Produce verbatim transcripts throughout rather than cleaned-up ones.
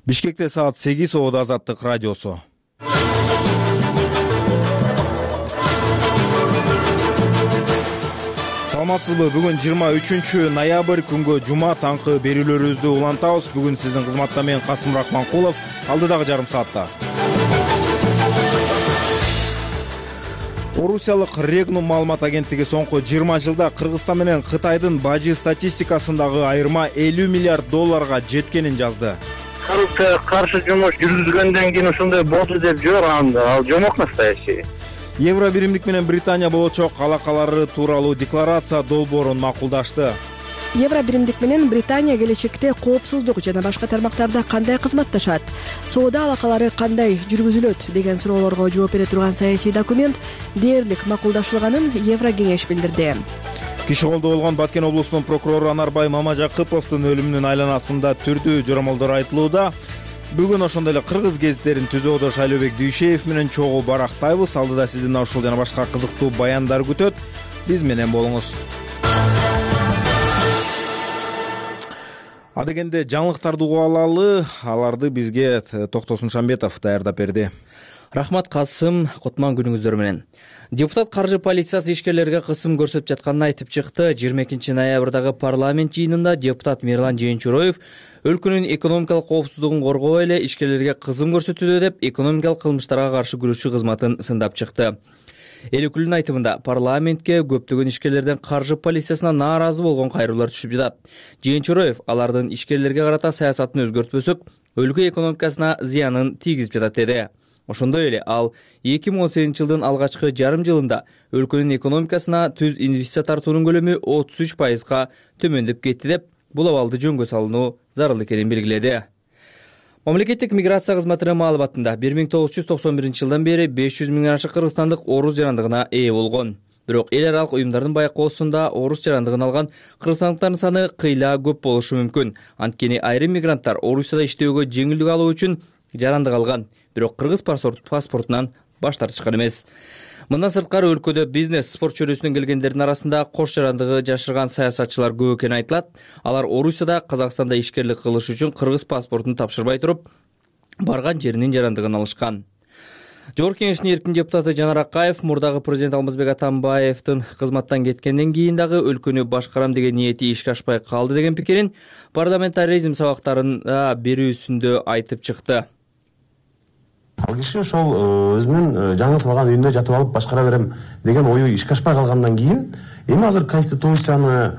Бишкекте саат сегиз Оодо Азаттык радиосу. Саламатсызбы? Бүгүн жыйырма үчүнчү ноябрь күнгө жума таңкы берүүлөрүбүздү улантабыз. Бүгүн сиздин кызматта мен Касым Рахманкулов. Алдыдагы жарым саатта Орусиялык Регнум маалымат агенттиги соңку жыйырма жылда Кыргызстан менен Кытайдын бажы статистикасындагы айырма элүү миллиард долларга жеткенин жазды. Коррупцияга каршы жумуш жүргүзгөндөн кийин ушундай болду деп жок, ал жомок настоящий. Евро биримдик менен Британия болочок алакалары тууралуу декларация долбоорун макулдашты. Евро биримдик менен Британия келечекте коопсуздук жана башка тармактарда кандай кызматташат, соода алакалары кандай жүргүзүлөт деген суроолорго жооп бере турган саясий документ дээрлик макулдашылганын Евро кеңеш билдирди. Киши колдо болгон Баткен облусунун прокурору Анарбай Мамажакыповдун өлүмүнүн айланасында түрдүү жоромолдор айтылууда. Бүгүн ошондой эле кыргыз гезиттерин түзүүдө Шайлообек Дүйшеев менен чогуу барактайбыз. Алдыда сиздин ушул жана башка кызыктуу баяндар күтөт. Биз менен болуңуз. Адегенде жаңылыктарды угуп алалы, аларды бизге Токтосун Шамбетов даярдап берди. Рахмат Касым, котман күнүңүздөр менен. Депутат каржы полициясы ишкерлерге кысым көрсөтүп жатканын айтып чыкты. жыйырма экинчи ноябрдагы парламент жыйынында депутат Мирлан Жээнчуроев өлкөнүн экономикалык коопсуздугун коргоо эле ишкерлерге кысым көрсөтүүдө деп экономикалык кылмыштарга каршы күрөшүү кызматын сындап чыкты. Эл өкүлүнүн айтымында парламентке көптөгөн ишкерлерден каржы полициясына нааразы болгон кайрылуулар түшүп жатат. Жээнчуроев алардын ишкерлерге карата саясатын өзгөртпөсөк, өлкө экономикасына зыянын тийгизип жатат деди. Ошондой эле ал эки миң он сегизинчи жылдын алгачкы жарым жылында өлкөнүн экономикасына түз инвестиция тартуунун көлөмү отуз үч пайызга төмөндөп кетти деп, бул абалды жөнгө салынуу зарыл экенин белгиледи. Мамлекеттик миграция кызматынын маалыматында бир миң тогуз жүз токсон биринчи жылдан бери беш жүз миңден ашык кыргызстандык орус жарандыгына ээ болгон. Бирок эл аралык уюмдардын байкоосунда орус жарандыгын алган кыргызстандыктардын саны кыйла көп болушу мүмкүн. Анткени айрым мигранттар Орусияда иштөөгө жеңилдик алуу үчүн жарандык алган, бирок кыргыз паспортунан баш тартышкан эмес. Мындан сырткары өлкөдө бизнес, спорт чөйрөсүнөн келгендердин арасында кош жарандыгы жашырган саясатчылар көп экени айтылат. Алар Орусияда, Казакстанда ишкерлик кылыш үчүн кыргыз паспортун тапшырбай туруп, барган жеринин жарандыгын алышкан. Жогорку кеңештин эркин депутаты Жанар Акаев мурдагы президент Алмазбек Атамбаевдин кызматтан кеткенден кийин дагы өлкөнү башкарам деген ниети ишке ашпай калды деген пикирин парламентаризм сабактарында берүүсүндө айтып чыкты. Ал киши ошол өзүнүн жаңы салган үйүндө жатып алып башкара берем деген ою ишке ашпай калгандан кийин эми азыр конституцияны,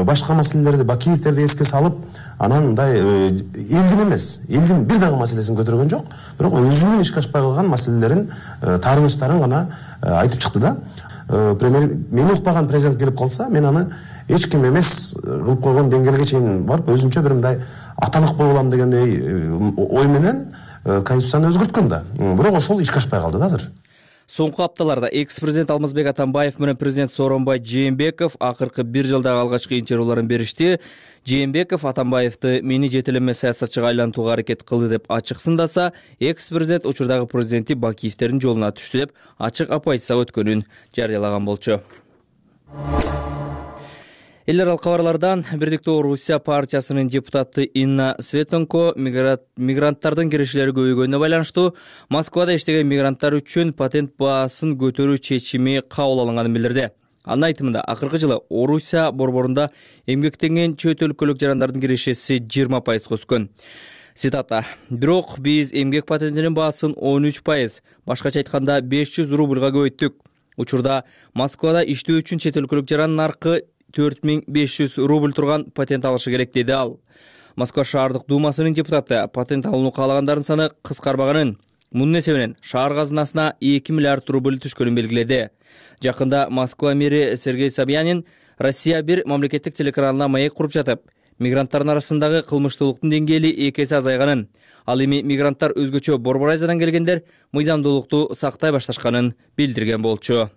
башка маселелерди, бакиевтерди эске салып, анан мындай элдин эмес, элдин бир дагы маселесин көтөргөн жок, бирок өзүнүн ишке ашпай калган маселелерин, таарынычтарын гана айтып чыкты да. Премьер мени укпаган президент келип калса, мен аны эч ким эмес кылып койгон деңгээлге чейин барып, өзүнчө бир мындай аталык боло алам дегендей ой менен конституцияны өзгөрткөн да. Бирок ошол ишке ашпай калды да азыр. Соңку апталарда экс-президент Алмазбек Атамбаев менен президент Сооронбай Жээнбеков акыркы бир жылдагы алгачкы интервьюларын беришти. Жээнбеков Атамбаевди мени жетелеме саясатчыга айлантууга аракет кылды деп ачык сындаса, экс-президент учурдагы президенти Бакиевтердин жолуна түштү деп ачык оппозиция өткөнүн жарыялаган болчу. Эл аралык кабарлардан Бирдиктүү Орусия партиясынын депутаты Инна Светенко мигранттардын кирешелери көбөйгөнүнө байланыштуу Москвада иштеген мигранттар үчүн патент баасын көтөрүү чечими кабыл алынганын билдирди. Анын айтымында акыркы жылы Орусия борборунда эмгектенген чөт өлкөлүк жарандардын кирешеси жыйырма пайызга өскөн. Цитата: "Бирок биз эмгек патентинин баасын он үч пайыз, башкача айтканда беш жүз рубльга көбөйттүк. Учурда Москвада иштөө үчүн чет өлкөлүк жарандын наркы төрт миң беш жүз рубль турган патент алышы керек", деди ал. Москва шаардык думасынын депутаты патент алууну каалагандардын саны кыскарбаганын, мунун эсебинен шаар казынасына эки миллиард рубль түшкөнүн белгиледи. Жакында Москва мэри Сергей Собянин Россия бир мамлекеттик телеканалына маек куруп жатып, мигранттардын арасындагы кылмыштуулуктун деңгээли эки эсе азайганын, ал эми мигранттар өзгөчө Борбор Азиядан келгендер мыйзамдуулукту сактай башташканын билдирген болчу.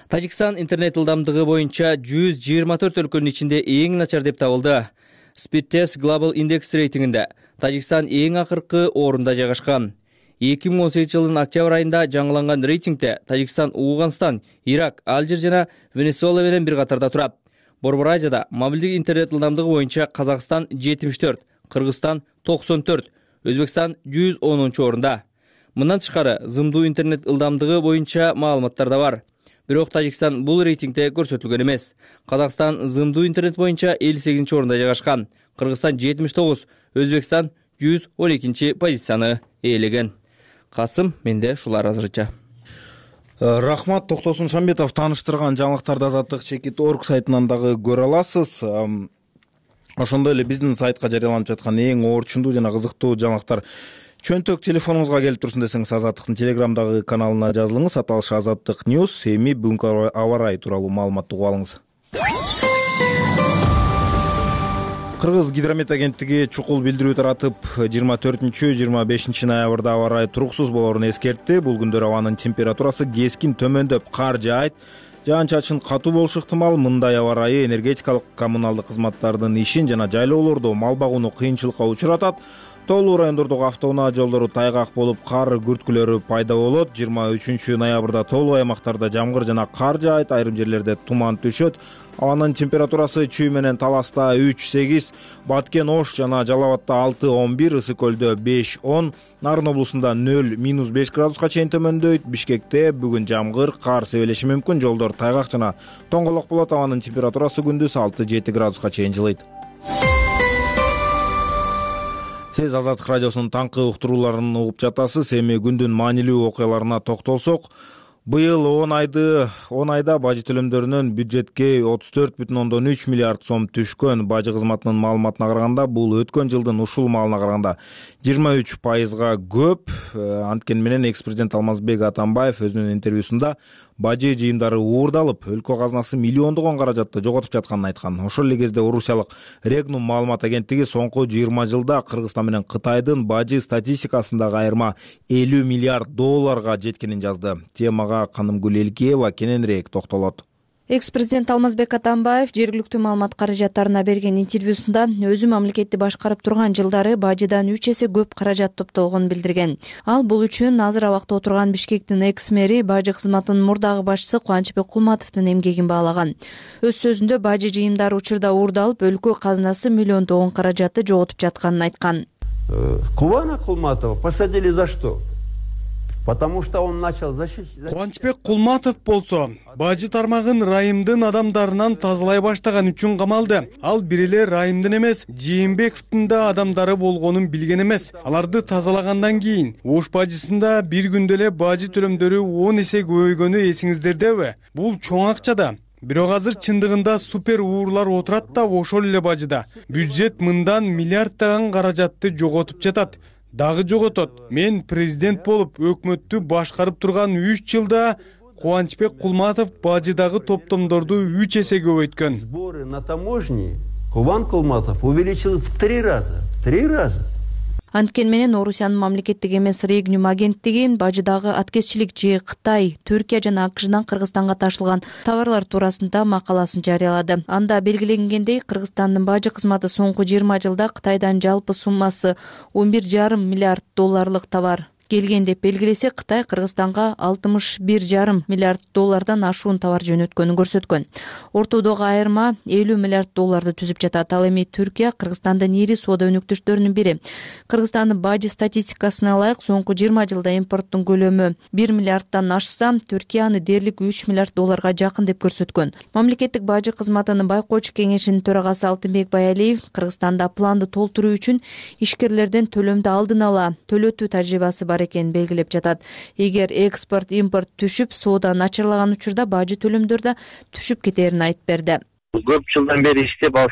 Тажикстан интернет ылдамдыгы боюнча жүз жыйырма төрт өлкөнүн ичинде эң начар деп табылды. Speedtest Global Index рейтингинде Тажикстан эң акыркы орунда жайгашкан. эки миң он сегизинчи жылдын октябрь айында жаңыланган рейтингде Тажикстан, Уугандстан, Ирак, Алжир жана Венесуэла менен бир катарда турат. Борбор Азияда мобилдик интернет ылдамдыгы боюнча Казакстан жетимиш төрт, Кыргызстан токсон төрт, Өзбекстан жүз онунчу орунда. Мындан тышкары зымдуу интернет ылдамдыгы боюнча маалыматтар да бар. Бирок Тажикстан бул рейтингде көрсөтүлгөн эмес. Казакстан зымдуу интернет боюнча элүү сегизинчи орунда жайгашкан. Кыргызстан жетимиш тогуз, Өзбекстан жүз он экинчи позицияны ээлеген. Касым, менде ушулар азырынча. Рахмат, Токтосун Шамбетов тааныштырган жаңылыктарды Азаттык чекит точка орг сайтынан дагы көрө аласыз. Ошондой эле биздин сайтка жарыяланып жаткан эң орчундуу жана кызыктуу жаңылыктар чөнтөк телефонуңузга келип турсун десеңиз, Азаттыктын Телеграмдагы каналына жазылыңыз. Аталышы Азаттык Ньюс. Эми бүгүнкү аба ырайы тууралуу маалыматты угуп алыңыз. Кыргыз гидромет агенттиги чукул билдирүү таратып, жыйырма төртүнчү жыйырма бешинчи ноябрда аба ырайы туруксуз болоорун эскертти. Бул күндөр абанын температурасы кескин төмөндөп, кар жаайт, жаан-чачын катуу болушу ыктымал. Мындай аба ырайы энергетикалык коммуналдык кызматтардын ишин жана жайлоолордо мал багууну кыйынчылыкка учуратат. Тоолуу райондордогу автоунаа жолдору тайгак болуп, кар күрткүлөрү пайда болот. жыйырма үчүнчү ноябрда тоолуу аймактарда жамгыр жана кар жаайт, айрым жерлерде туман түшөт. Абанын температурасы Чүй менен Таласта үч сегиз, Баткен Ош жана Жалал Абадта алты он бир, Ысык көлдө беш он, Нарын облусунда нөл минус беш градуска чейин төмөндөйт. Бишкекте бүгүн жамгыр, кар себелеши мүмкүн, жолдор тайгак жана тоңголок болот. Абанын температурасы күндүз алты жети градуска чейин жылыйт. Сиз Азаттык радиосунун таңкы уктурууларын угуп жатасыз. Эми күндүн маанилүү окуяларына токтолсок, быйыл он айды он айда бажы төлөмдөрүнөн бюджетке отуз төрт бүтүн ондон үч миллиард сом түшкөн. Бажы кызматынын маалыматына караганда, бул өткөн жылдын ушул маалына караганда жыйырма үч пайызга көп. Анткени менен экс-президент Алмазбек Атамбаев өзүнүн интервьюсунда бажы жыйымдары уурдалып, өлкө казынасы миллиондогон каражатты жоготуп жатканын айткан. Ошол эле кезде орусиялык Регнум маалымат агенттиги соңку жыйырма жылда Кыргызстан менен Кытайдын бажы статистикасындагы айырма элүү миллиард долларга жеткенин жазды. Темага Канымгүл Элкиева кененирээк токтолот. Экс-президент Алмазбек Атамбаев жергиликтүү маалымат каражаттарына берген интервьюсунда өзү мамлекетти башкарып турган жылдары бажыдан үч эсе көп каражат топтолгонун билдирген. Ал бул үчүн азыр абакта отурган Бишкектин экс-мэри, бажы кызматынын мурдагы башчысы Кубанычбек Кулматовдун эмгегин баалаган. Өз сөзүндө бажы жыйымдары учурда уурдалып, өлкө казынасы миллиондогон каражатты жоготуп жатканын айткан. Кубана Кулматова посадили за что? Потому что он начал защищать. Кубанычбек Кулматов болсо бажы тармагын райымдын адамдарынан тазалай баштаган үчүн камалды. Ал бир эле райымдын эмес, Жээнбековдун да адамдары болгонун билген эмес. Аларды тазалагандан кийин Ош бажысында бир күндө эле бажы төлөмдөрү он эсе көбөйгөнү эсиңиздердеби? Бул чоң акча да. Бирок азыр чындыгында супер уурлар отурат да ошол эле бажыда. Бюджет мындан миллиарддаган каражатты жоготуп жатат. Дагы жоготот. Мен президент болуп, өкмөттү башкарып турган үч жылда Кубанычбек Кулматов бажыдагы топтомдорду үч эсе көбөйткөн. Сборы на таможне Кубан Кулматов увеличил в три раза. В три раза. Анткени менен Орусиянын мамлекеттик эмес Регнум агенттиги бажыдагы аткезчилик же Кытай, Түркия жана АКШдан Кыргызстанга ташылган товарлар туурасында макаласын жарыялады. Анда белгиленгендей, Кыргызстандын бажы кызматы соңку жыйырма жылда Кытайдан жалпы суммасы он бир жарым миллиард долларлык товар келген деп белгилесе, Кытай Кыргызстанга алтымыш бир жарым миллиард доллардан ашуун товар жөнөткөнүн көрсөткөн. Ортодогу айырма элүү миллиард долларды түзүп жатат. Ал эми Түркия Кыргызстандын ири соода өнүктүштөрүнүн бири. Кыргызстандын бажы статистикасына ылайык, соңку жыйырма жылда импорттун көлөмү бир миллиарддан ашса, Түркия аны дээрлик үч миллиард долларга жакын деп көрсөткөн. Мамлекеттик бажы кызматынын байкоочу кеңешинин төрагасы Алтынбек Баялиев Кыргызстанда планды толтуруу үчүн ишкерлерден төлөмдү алдын ала төлөтүү тажрыйбасы бар экенин белгилеп жатат. Эгер экспорт, импорт түшүп, соода начарлаган учурда бажы төлөмдөр да түшүп кетерин айтып берди. Көп жылдан бери иштеп, ал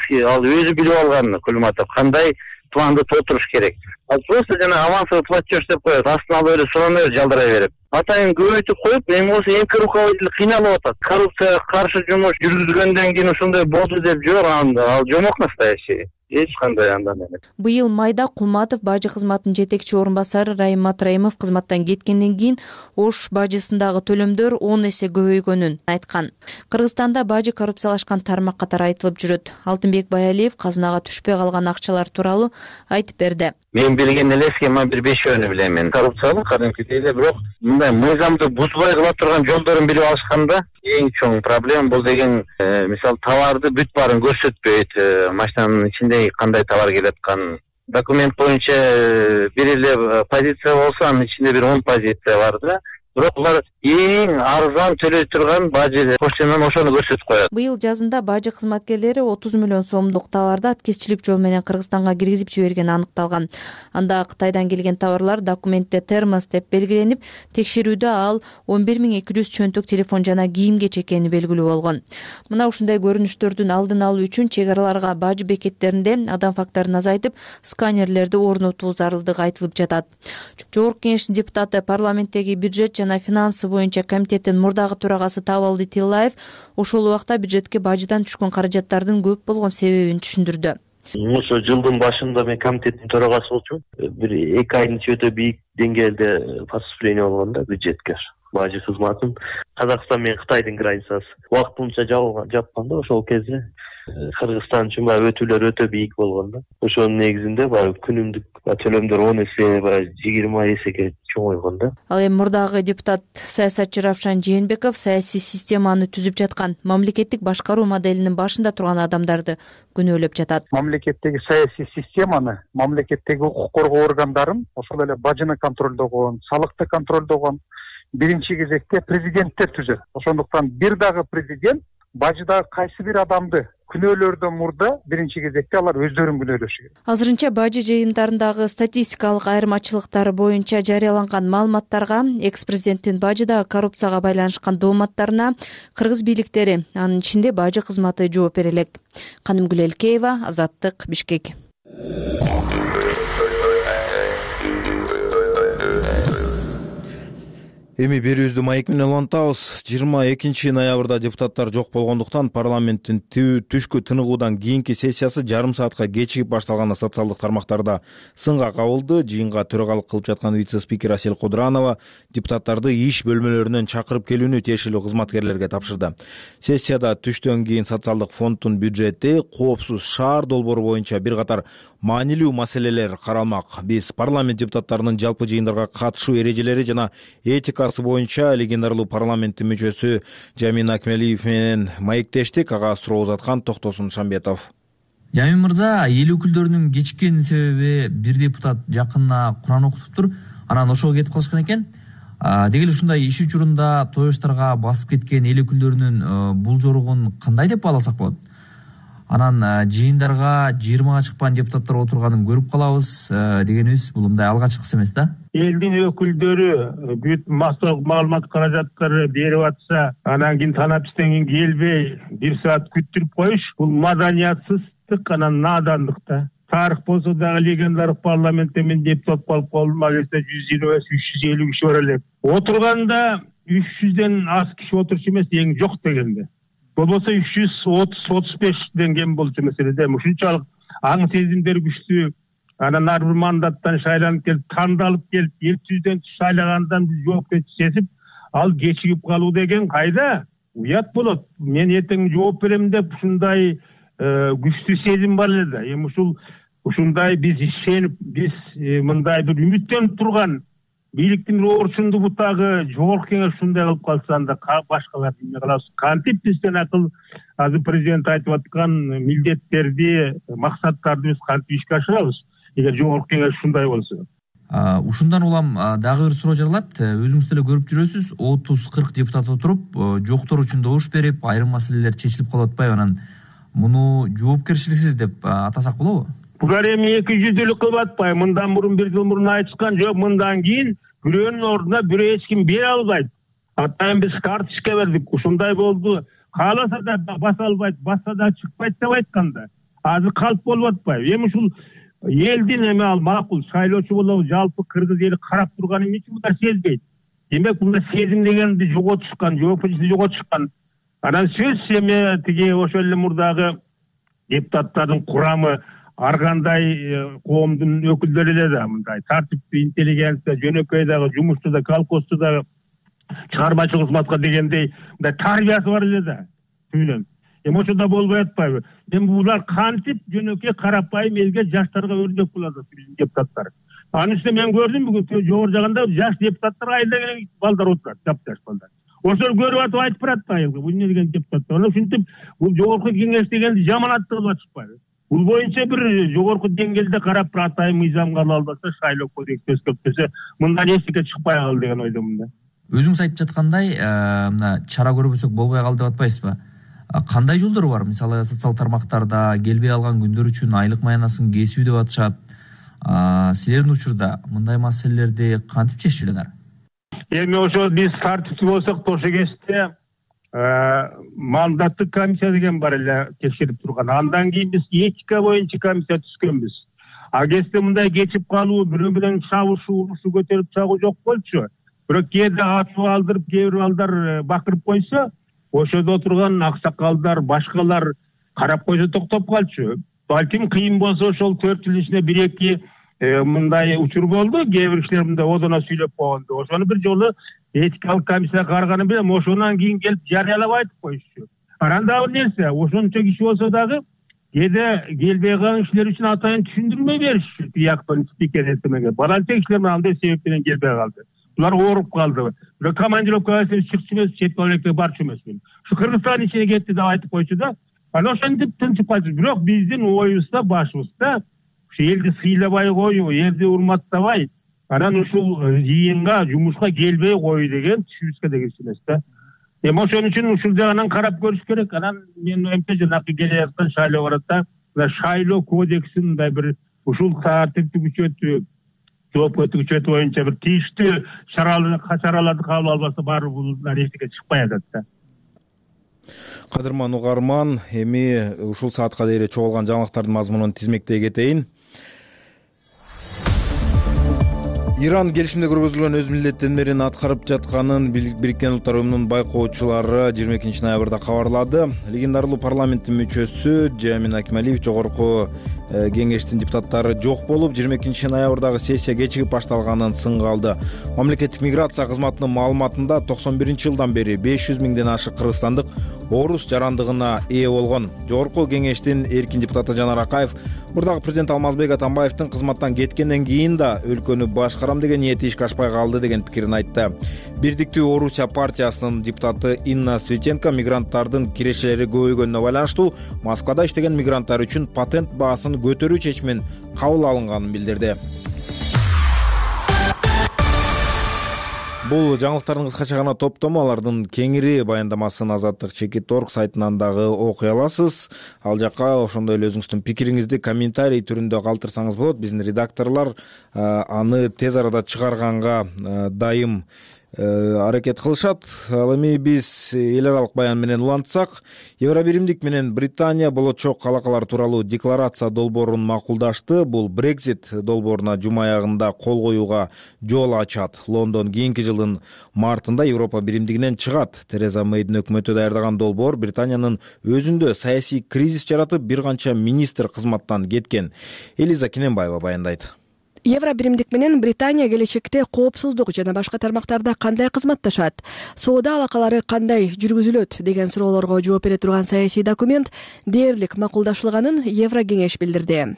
өзү билип алган Кулматов кандай планды толтуруш керек. Ал просто жана авансовый платеж деп коет, астына алып эле сурамай жалдырай берип. Атайын көбөйтүп коюп, эми болсо эмки руководитель кыйналып атат. Коррупцияга каршы жумуш жүргүзгөндөн кийин ушундай болду деп жок, ал жомок настоящий. Эч кандай андан эмес. Быйыл майда Кулматов бажы кызматынын жетекчи орун басары Райым Матраимов кызматтан кеткенден кийин Ош бажысындагы төлөмдөр он эсе көбөйгөнүн айткан. Кыргызстанда бажы коррупциялашкан тармак катары айтылып жүрөт. Алтынбек Баялиев казынага түшпөй калган акчалар тууралуу айтып берди. Мен билген эле схема бир бешөөнү билем мен. Коррупциялык кадимкидей эле, бирок мындай мыйзамды бузбай кыла турган жолдорун билип алышканда эң чоң проблема бул деген, мисалы, товарды бүт баарын көрсөтпөйт, машинанын ичинде кандай товар келатканын документ боюнча бир эле позиция болсо анын ичинде бир он позиция бар да. Бирок булар эң арзан төлөй турган бажы поштадан ошону көрсөтүп коет. Быйыл жазында бажы кызматкерлери отуз миллион сомдук товарды аткезчилик жол менен Кыргызстанга киргизип жибергени аныкталган. Анда Кытайдан келген товарлар документте термос деп белгиленип, текшерүүдө ал он бир миң эки жүз чөнтөк телефон жана кийим-кеч экени белгилүү болгон. Мына ушундай көрүнүштөрдүн алдын алуу үчүн чек араларга бажы бекеттеринде адам факторун азайтып, сканерлерди орнотуу зарылдыгы айтылып жатат. Жогорку Кеңештин депутаты, парламенттеги бюджет жана финансы боюнча комитеттин мурдагы төрагасы Табалды Тиллаев ошол убакта бюджетке бажыдан түшкөн каражаттардын көп болгон себебин түшүндүрдү. Ошо жылдын башында мен комитеттин төрагасы болчумун. Бир эки айдын ичинде өтө бийик деңгээлде поступление болгон да бюджетке. Бажы кызматын Казакстан менен Кытайдын границасы убактылыча жапкан да, ошол кезде Кыргызстан үчүн баягы өтүүлөр өтө бийик болгон да. Ошонун негизинде баягы күнүмдүк төлөмдөр он эсе, баягы жыйырма эсеге чоңойгон да. Ал эми мурдагы депутат саясатчы Равшан Жээнбеков саясий системаны түзүп жаткан, мамлекеттик башкаруу моделинин башында турган адамдарды күнөөлөп жатат. Мамлекеттеги саясий системаны, мамлекеттеги укук коргоо органдарын, ошол эле бажыны контролдогон, салыкты контролдогон биринчи кезекте президенттер түзөт. Ошондуктан бир дагы президент бажыдагы кайсы бир адамды күнөөлөрдөн мурда биринчи кезекте алар өздөрүн күнөөлөшү керек. Азырынча бажы жыйындарындагы статистикалык айырмачылыктар боюнча жарыяланган маалыматтарга, экс-президенттин бажыдагы коррупцияга байланышкан дооматтарына кыргыз бийликтери, анын ичинде бажы кызматы жооп бере элек. Канымгүл Элкеева, Азаттык, Бишкек. Эми берүүбүздү маек менен улантабыз. жыйырма экинчи ноябрда депутаттар жок болгондуктан парламенттин түшкү тыныгуудан кийинки сессиясы жарым саатка кечигип башталганы социалдык тармактарда сынга кабылды. Жыйынга төрагалык кылып жаткан вице-спикер Асель Кудуранова депутаттарды иш бөлмөлөрүнөн чакырып келүүнү тиешелүү кызматкерлерге тапшырды. Сессияда түштөн кийин социалдык фонддун бюджети, коопсуз шаар долбоору боюнча бир катар маанилүү маселелер каралмак. Биз парламент депутаттарынын жалпы жыйындарга катышуу эрежелери жана этикасы боюнча легендарлуу парламенттин мүчөсү Жамин Акмелиев менен маектештик. Ага суроо узаткан Токтосун Шамбетов. Жамин мырза, эл өкүлдөрүнүн кечиккенин себеби бир депутат жакында Куран окутуптур, анан ошого кетип калышкан экен. Деги эле ушундай иш учурунда тоюштарга басып кеткен эл өкүлдөрүнүн бул жоругун кандай деп бааласак болот? Анан жыйындарга жыйырмага чыкпан депутаттар отурганын көрүп калабыз дегенибиз бул мындай алгачкысы эмес да. Элдин өкүлдөрү бүт массалык маалымат каражаттары берип атса, анан кийин танапистен кийин келбей бир саат күттүрүп коюш, бул маданиятсыздык, анан надандык да. Тарых болсо дагы легендарык парламентте мен депутат болуп калдым, агесе жүз жыйырма беш үч жүз элүү киши бар элек. Отурганда үч жүздөн аз киши отурчу эмес, эң жок дегенде. Болбосо үч жүз отуз отуз бештен кем болчу маселеде. Ушунчалык аң сезимдер күчтүү. Анан ар бир мандаттан шайланып келип, тандалып келип, эл жүздөн шайлагандан биз жоопкерчилик сезип, ал кечигип калуу деген кайда? Уят болот. Мен эртең жооп берем деп ушундай күчтүү сезим бар эле да. Эми ушул ушундай биз ишенип, биз мындай бир үмүттөнүп турган бийликтин орчунду бутагы жогорку кеңеш ушундай кылып калса, анда башкалар эмне кылабыз? Кантип бизден акыл азыр президент айтып аткан милдеттерди, максаттарды биз кантип ишке ашырабыз? Эгер жогорку кеңеш ушундай болсо. Ушундан улам дагы бир суроо жаралат. Өзүңүз деле көрүп жүрөсүз, отуз кырк депутат отуруп, жоктор үчүн добуш берип, айрым маселелер чечилип калып атпайбы? Анан муну жоопкерчиликсиз деп атасак болобу? Булар эми эки жүздүүлүк кылып атпайбы? Мындан мурун бир жыл мурун айтышкан жок, мындан кийин бирөөнүн ордуна бирөө эч ким бере албайт. Атайын биз карточка бердик, ушундай болду. Кааласа да баса албайт, басса да чыкпайт деп айтканда. Азыр калп болуп атпайбы? Эми ушул элдин эми ал макул шайлоочу болобу, жалпы кыргыз эли карап турган эмне үчүн булар сезбейт? Демек булар сезим дегенди жоготушкан, жоопкерчиликти жоготушкан. Анан сөз эми тиги ошол эле мурдагы депутаттардын курамы ар кандай коомдун өкүлдөрү эле да мындай тартиптүү, интеллигенция, жөнөкөй дагы, жумушчу да, колхозчу дагы, чыгармачыл кызматка дегендей мындай тарбиясы бар эле да. Түйлөн. Эми ошондо болбой атпайбы? Эми булар кантип жөнөкөй карапайым элге, жаштарга өрнөк болот биздин депутаттар. Анын үстүнө мен көрдүм бүгүн жогору жагында жаш депутаттар айылда балдар отурат, жапташ балдар. Ошол көрүп атып айтып барат да айылга. Бул эмне деген депутаттар? Ошентип бул жогорку кеңеш дегенди жаман аттырып атышпайбы? бул боюнча бир жогорку деңгээлде карап бир атайын мыйзам кабыл албаса, шайлоо кодекси өзгөртпөсө мындан эчтеке чыкпай калды деген ойдомун да. Өзүңүз айтып жаткандай, мына чара көрбөсөк болбой калды деп атпайсызбы? Кандай жолдор бар? Мисалы социал тармактарда келбей алган күндөр үчүн айлык маянасын кесүү деп атышат. Силердин учурда мындай маселелерди кантип чечип жүрөңөр? Эми ошо биз тартипчи болсок, ошо кезде мандаттык комиссия деген бар эле текшерип турган. Андан кийин биз этика боюнча комиссия түзгөнбүз. А кезде мындай кечип калуу, бирөө менен чабышуу, урушуу, көтөрүп чагуу жок болчу. Бирок кээде ачуу алдырып, кээ бир балдар бакырып койсо, ошодо отурган аксакалдар, башкалар карап койсо токтоп калчу. Балким кыйын болсо ошол төрт жыл ичинде бир эки мындай учур болду. Кээ бир кишилер мындай одоно сүйлөп койгонду. Ошону бир жолу этикалык комиссия караганы менен ошондон кийин келип жарыялап айтып коюшчу. Анан дагы бир нерсе, ошончо киши болсо дагы кээде келбей калган кишилер үчүн атайын түшүндүрмө беришчү. Тияктан спикер этемеге. Баранча кишилер андай себеп менен келбей калды. Булар ооруп калды. Бирок командировкага чыкчу эмес, чет мамлекетке барчу эмесмин. Ушу Кыргызстан ичине кетти деп айтып койчу да. Анан ошентип тынчып калчу. Бирок биздин оюбузда, башыбызда ушу элди сыйлабай коюу, элди урматтабай, анан ушул жыйынга, жумушка келбей коюу деген түшүбүзгө да кирчү эмес да. Эми ошон үчүн ушул жагынан карап көрүш керек. Анан мен оюмча жанакы келе жаткан шайлоо баратта, шайлоо кодексин мындай бир ушул тартипти күчөтүү, жоопкерчилик күчөтүү боюнча бир тийиштүү чараларды кабыл албаса, баары бул эчтеке чыкпай атат да. Кадырман угарман, эми ушул саатка дейре чогулган жаңылыктардын мазмунун тизмектей кетейин. Иран келишимде көргөзүлгөн өз милдеттенмелерин аткарып жатканын Бириккен Улуттар Уюмунун байкоочулары жыйырма экинчи ноябрда кабарлады. Легендарлуу парламенттин мүчөсү Жамин Акмалиев жогорку кеңештин депутаттары жок болуп, жыйырма экинчи ноябрдагы сессия кечигип башталганын сынга алды. Мамлекеттик миграция кызматынын маалыматында токсон биринчи жылдан бери беш жүз миңден ашык кыргызстандык орус жарандыгына ээ болгон. Жогорку кеңештин эркин депутаты Жанар Акаев мурдагы президент Алмазбек Атамбаевдин кызматтан кеткенден кийин да өлкөнү башкарам деген ниети ишке ашпай калды деген пикирин айтты. Бирдиктүү Орусия партиясынын депутаты Инна Светенко мигранттардын кирешелери көбөйгөнүнө байланыштуу Москвада иштеген мигранттар үчүн патент баасын көтөрүү чечимин кабыл алынганын билдирди. Бул жаңылыктардын кыскача гана топтому, алардын кеңири баяндамасын Азаттык чекит точка орг сайтынан дагы окуй аласыз. Ал жакка ошондой эле өзүңүздүн пикириңизди комментарий түрүндө калтырсаңыз болот. Биздин редакторлор аны тез арада чыгарганга дайым аракет кылышат. Ал эми биз эл аралык баян менен улантсак, Евробиримдик менен Британия болочок алакалар тууралуу декларация долбоорун макулдашты. Бул Brexit долбооруна жума аягында кол коюуга жол ачат. Лондон кийинки жылдын мартында Европа биримдигинен чыгат. Тереза Мэйдин өкмөтү даярдаган долбоор Британиянын өзүндө саясий кризис жаратып, бир канча министр кызматтан кеткен. Элиза Кинембаева баяндайт. Евробиримдик менен Британия келечекте коопсуздук жана башка тармактарда кандай кызматташат, соода алакалары кандай жүргүзүлөт деген суроолорго жооп бере турган саясий документ дээрлик макулдашылганын Еврокеңеш билдирди.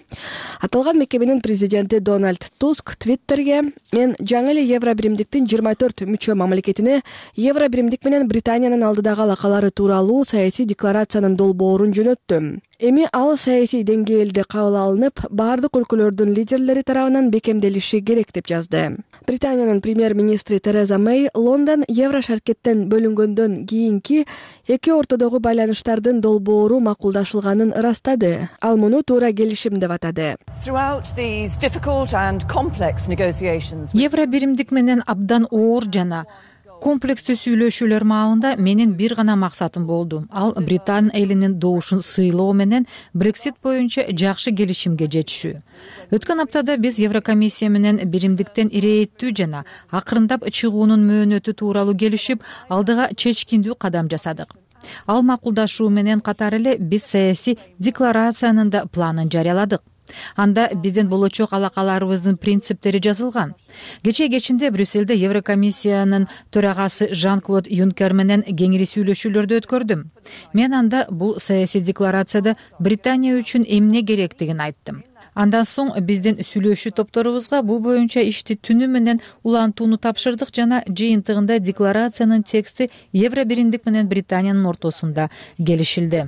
Аталган мекеменин президенти Дональд Туск Твиттерге мен жаңы эле Евробиримдиктин жыйырма төрт мүчө мамлекетине Евробиримдик менен Британиянын алдыдагы алакалары тууралуу саясий декларациянын долбоорун жөнөттүм. Эми ал саясий деңгээлде кабыл алынып, бардык өлкөлөрдүн лидерлери тарабынан бекемделиши керек деп жазды. Британиянын премьер-министри Тереза Мэй Лондон Евро шаркеттен бөлүнгөндөн кийинки эки ортодогу байланыштардын долбоору макулдашылганын ырастады. Ал муну туура келишим деп атады. Евробиримдик менен абдан оор жана комплекстүү сүйлөшүүлөр маалында менин бир гана максатым болду. Ал Британ элинин добушун сыйлоо менен Brexit боюнча жакшы келишимге жетишүү. Өткөн аптада биз Еврокомиссия менен биримдиктен ирээттүү жана акырындап чыгуунун мөөнөтү тууралуу келишип, алдыга чечкиндүү кадам жасадык. Ал макулдашуу менен катар эле биз саясий декларациянын да планын жарыяладык. Анда биздин болочок алакаларыбыздын принциптери жазылган. Кечээ кечинде Брюссельде Еврокомиссиянын төрагасы Жан-Клод Юнкер менен кеңири сүйлөшүүлөрдү өткөрдүм. Мен анда бул саясий декларацияда Британия үчүн эмне керектигин айттым. Андан соң биздин сүйлөшүү топторубузга бул боюнча ишти түнү менен улантууну тапшырдык жана жыйынтыгында декларациянын тексти Евро биримдик менен Британиянын ортосунда келишилди.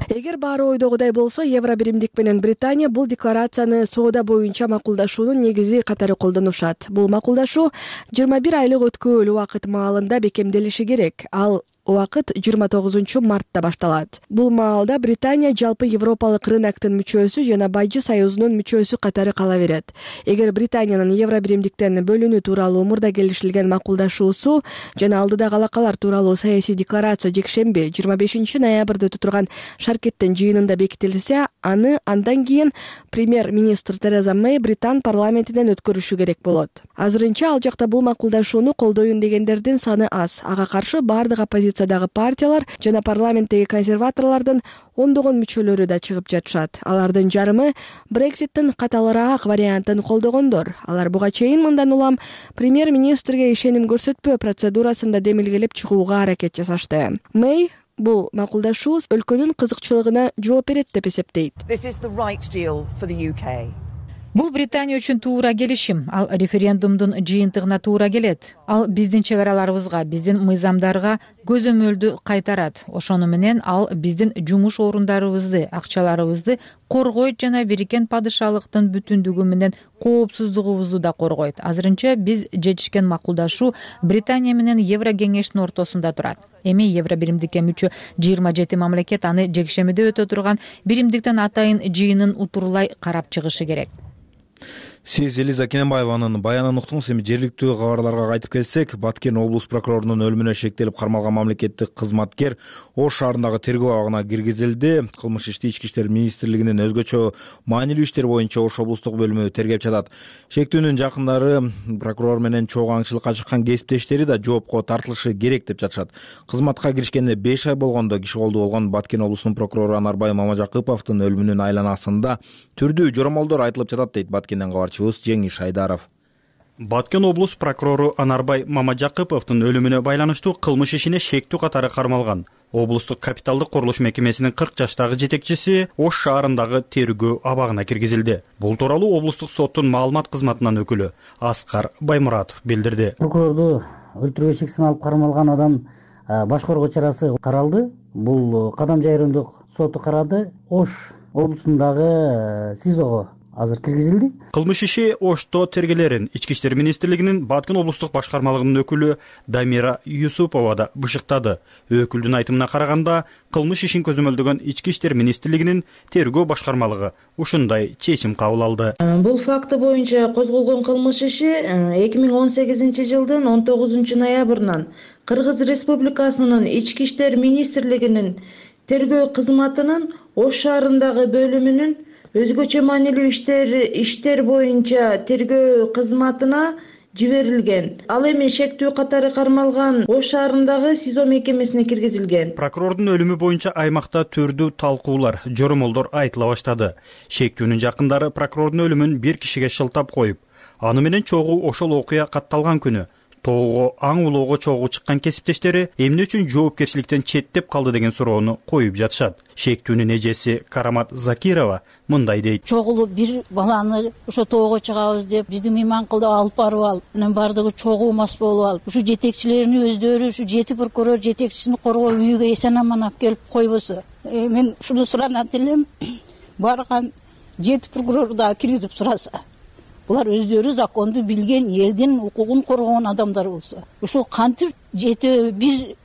Эгер баары ойдогудай болсо, Евро биримдик менен Британия бул декларацияны соода боюнча макулдашуунун негизи катары колдонушат. Бул макулдашуу жыйырма бир айлык өткөөл убакыт маалында бекемделиши керек. Ал убакыт жыйырма тогузунчу мартта башталат. Бул маалда Британия жалпы Европалык рыноктун мүчөсү жана Бажы союзунун мүчөсү катары кала берет. Эгер Британиянын Евро биримдиктен бөлүнүү тууралуу мурда келишилген макулдашуусу жана алдыдагы алакалар тууралуу саясий декларация жекшемби жыйырма бешинчи ноябрда өтө турган Шаркеттин жыйынында бекитилсе, аны андан кийин премьер-министр Тереза Мэй Британ парламентинен өткөрүшү керек болот. Азырынча ал жакта бул макулдашууну колдойюн дегендердин саны аз. Ага каршы бардык оппозициядагы партиялар жана парламенттеги консерваторлордун ондогон мүчөлөрү да чыгып жатышат. Алардын жарымы Брекситтин каталыраак вариантын колдогондор. Алар буга чейин мындан улам премьер-министрге ишеним көрсөтпөө процедурасында демилгелеп чыгууга аракет жасашты. Мэй бул макулдашуу өлкөнүн кызыкчылыгына жооп берет деп эсептейт. Бул Британия үчүн туура келишим. Ал референдумдун жыйынтыгына туура келет. Ал биздин чек араларыбызга, биздин мыйзамдарга көзөмөлдү кайтарат. Ошону менен ал биздин жумуш орундарыбызды, акчаларыбызды коргойт жана Бириккен падышалыктын бүтүндүгү менен коопсуздугубузду да коргойт. Азырынча биз жетишкен макулдашуу Британия менен Евро кеңештин ортосунда турат. Эми Евро биримдикке мүчө жыйырма жети мамлекет аны жекшемиде өтө турган биримдиктен атайын жыйынын утурлай карап чыгышы керек. Сиз Элиза Кененбаеванын баянын уктуңуз. Эми жергиликтүү кабарларга кайтып келсек, Баткен облус прокурорунун өлүмүнө шектелип кармалган мамлекеттик кызматкер Ош шаарындагы тергөө абагына киргизилди. Кылмыш ишти Ички иштер министрлигинин өзгөчө маанилүү иштер боюнча Ош облустук бөлүмү тергеп жатат. Шектүүнүн жакындары прокурор менен чогуу аңчылыкка чыккан кесиптештери да жоопко тартылышы керек деп жатышат. Кызматка киришкенине беш ай болгондо киши колдуу болгон Баткен облусунун прокурору Анарбай Мамажакыповдун өлүмүнүн айланасында түрдүү жоромолдор айтылып жатат дейт Баткенден кабарчыбыз Жеңиш Айдаров. Баткен облус прокурору Анарбай Мамажакыповдун өлүмүнө байланыштуу кылмыш ишине шектүү катары кармалган. Облустук капиталдык курулуш мекемесинин кырк жаштагы жетекчиси Ош шаарындагы тергөө абагына киргизилди. Бул тууралуу облустук соттун маалымат кызматынын өкүлү Аскар Баймуратов билдирди. Прокурорду өлтүрүүгө шексин алып кармалган адам баш коргоо чарасы каралды. Бул Кадам жайрымдык соту карады. Ош облусундагы СИЗОго азыр киргизилди. Кылмыш иши Ошто тергелерин Ички иштер министрлигинин Баткен облустук башкармалыгынын өкүлү Дамира Юсупова да бышыктады. Өкүлдүн айтымына караганда, кылмыш ишин көзөмөлдөгөн Ички иштер министрлигинин тергөө башкармалыгы ушундай чечим кабыл алды. Бул факты боюнча козголгон кылмыш иши эки миң он сегизинчи жылдын он тогузунчу ноябрынан Кыргыз Республикасынын Ички иштер министрлигинин тергөө кызматынын Ош шаарындагы бөлүмүнүн өзгөчө маанилүү иштер иштер боюнча тергөө кызматына жиберилген. Ал эми шектүү катары кармалган Ош шаарындагы СИЗО мекемесине киргизилген. Прокурордун өлүмү боюнча аймакта түрдүү талкуулар, жоромолдор айтыла баштады. Шектүүнүн жакындары прокурордун өлүмүн бир кишиге шылтап коюп, аны менен чогуу ошол окуя катталган күнү тоого аң улоого чогуу чыккан кесиптештери эмне үчүн жоопкерчиликтен четтеп калды деген суроону коюп жатышат. Шектүүнүн эжеси Карамат Закирова мындай дейт. Чогуу бир баланы ошо тоого чыгабыз деп биздин мейманкылдап алып барып алып, анан бардыгы чогуу мас болуп алып, ушу жетекчилерини өздөрү ушу жети прокурор жетекчисин коргоо үйгө эсен аман алып келип койбосо. Мен ушуну суранат элем. Барган жети прокурор да киргизип сураса. Булар өздөрү законду билген, элдин укугун коргогон адамдар болсо, ушул кантип жети бир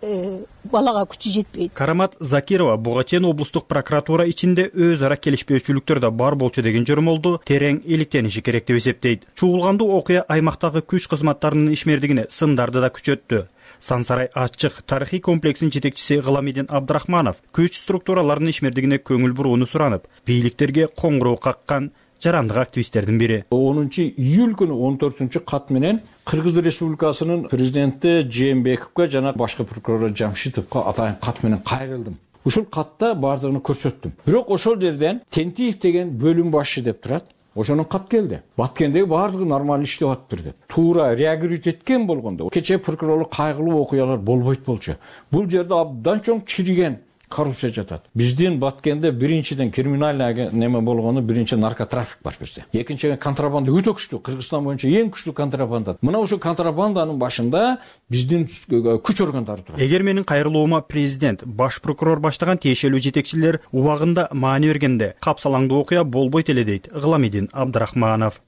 балага күчү жетпейт. Карамат Закирова буга чейин облустук прокуратура ичинде өз ара келишпөөчүлүктөр да бар болчу деген жоромолду терең иликтениши керек деп эсептейт. Чуулгандуу окуя аймактагы күч кызматтарынын ишмердигине сындарды да күчөттү. Сансарай ачык тарыхый комплексинин жетекчиси Гыламидин Абдрахманов күч структураларынын ишмердигине көңүл бурууну суранып, бийликтерге коңгуроо каккан жарандык активисттердин бири. онунчу июль күнү он төртүнчү кат менен Кыргыз Республикасынын президенти Жээнбековго жана башкы прокурор Жамшитовго атайын кат менен кайрылдым. Ушул катта бардыгын көрсөттүм. Бирок ошол жерден Тентиев деген бөлүм башчы деп турат. Ошонун кат келди. Баткендеги бардыгы нормалдуу иштеп атыптыр деп. Туура реагировать эткен болгондо кечээ прокурорлук кайгылуу окуялар болбойт болчу. Бул жерде абдан чоң чириген коррупция жатат. Биздин Баткенде биринчиден криминальный неме болгону биринчи наркотрафик бар бизде. Экинчиден контрабанда өтө күчтүү. Кыргызстан боюнча эң күчтүү контрабанда. Мына ошо контрабанданын башында биздин күч органдары турат. Эгер менин кайрылуума президент, баш прокурор баштаган тиешелүү жетекчилер убагында маани бергенде капсалаңдуу окуя болбойт эле дейт Гыламидин Абдрахманов.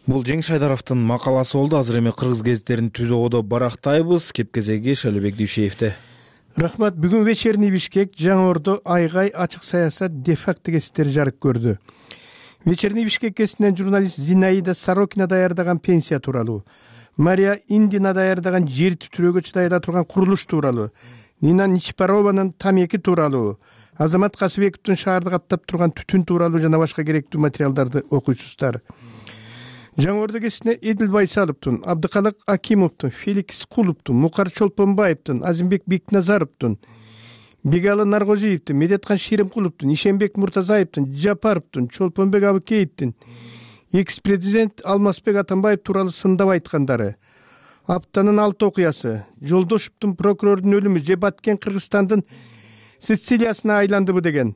Бул Жеңиш Айдаровдун макаласы болду. Азыр эми кыргыз гезиттерин түзөөгө барактайбыз. Кепкезеги Шайлообек Дүйшеевде. Рахмат. Бүгүн вечерний Бишкек, Жаңы Ордо, Айгай, ачык саясат де-факто гезиттери жарык көрдү. Вечерний Бишкек гезитинен журналист Зинаида Сорокина даярдаган пенсия тууралуу, Мария Индина даярдаган жер титирөөгө чыдайла турган курулуш тууралуу, Нина Ничпарованын тамеки тууралуу, Азамат Касыбековдун шаарды каптап турган түтүн тууралуу жана башка керектүү материалдарды окуйсуздар. Жаңы Ордо гезитине Эдил Байсаловдун, Абдыкалык Акимовдун, Феликс Куловдун, Мукар Чолпонбаевдин, Азимбек Бекназаровдун, Бегалы Наргозиевдин, Медеткан Шеримкуловдун, Ишенбек Муртазаевдин, Жапаровдун, Чолпонбек Абыкеевдин, экс-президент Алмазбек Атамбаев тууралуу сындап айткандары, аптанын алты окуясы, Жолдошевдун прокурордун өлүмү же Баткен Кыргызстандын Сицилиясына айландыбы деген,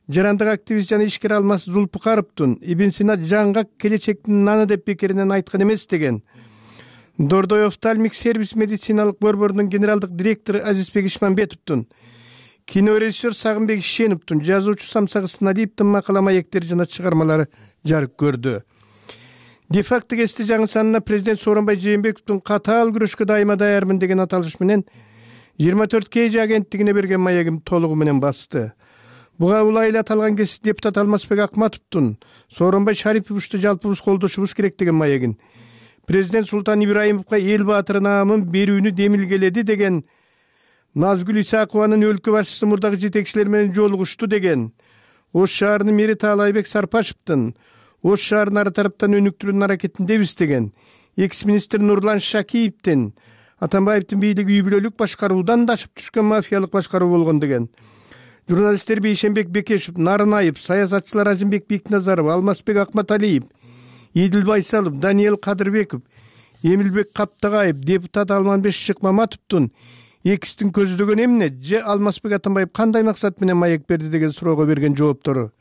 жарандык активист жана ишкер Алмаз Зулпукаровдун Ибн Сина жаңгак келечектин наны деп бекеринен айткан эмес деген, Дордой офтальмик сервис медициналык борборунун генералдык директору Азизбек Ишмамбетовдун, кинорежиссер Сагынбек Ишеновдун, жазуучу Самсак Ысыналиевдин макала маектери жана чыгармалары жарык көрдү. Де-факто гезити жаңы санына президент Сооронбай Жээнбековдун катаал күрөшкө дайыма даярмын деген аталыш менен жыйырма төрт кей жи агенттигине берген маегим толугу менен басты. Буга улайла аталган гезит депутат Алмазбек Акматовдун Сооронбай Шариповичту жалпыбыз колдошубуз керек деген маегин, президент Султан Ибраимовго эл баатыры наамын берүүнү демилгеледи деген, Назгүл Исакованын өлкө башчысы мурдагы жетекчилер менен жолугушту деген, Ош шаарынын мэри Таалайбек Сарпашевдин Ош шаарын ар тараптан өнүктүрүүнүн аракетиндебиз деген, экс-министр Нурлан Шакиевдин Атамбаевдин бийлиги үй бүлөлүк башкаруудан да ашып түшкөн мафиялык башкаруу болгон деген, журналисттер Бейшенбек Бекешев, Нарынаев, саясатчылар Азимбек Бекназаров, Алмазбек Акматалиев, Эдил Байсалов, Даниэл Кадырбеков, Эмилбек Каптагаев, депутат Алманбек Шыкмаматовдун экстин көздөгөн эмне же Алмазбек Атамбаев кандай максат менен маек берди деген суроого берген жооптору,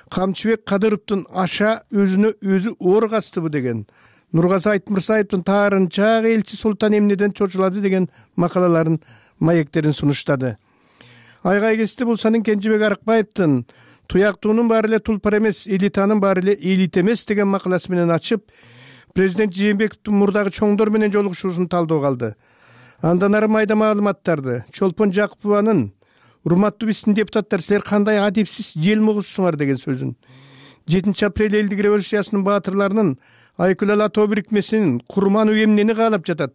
Камчыбек Кадыровдун аша өзүнө өзү оор кастыбы деген, Нургазы Айтмырсаевдин таарынча элчи Султан эмнеден чочулады деген макалаларын маектерин сунуштады. Айгай гезити Булсанын Кенжебек Арыкбаевдин туяктуунун баары эле тулпар эмес, элитанын баары эле элит эмес деген макаласы менен ачып, президент Жээнбековдун мурдагы чоңдор менен жолугушуусун талдоого алды. Андан ары майда маалыматтарды Чолпон Жакупованын урматтуу биздин депутаттар, силер кандай адепсиз жел мугузсуңар деген сөзүн, жетинчи апрель элдик революциясынын баатырларынын Айкүл Ала тоо бирикмесинин курмануу эмнени каалап жатат,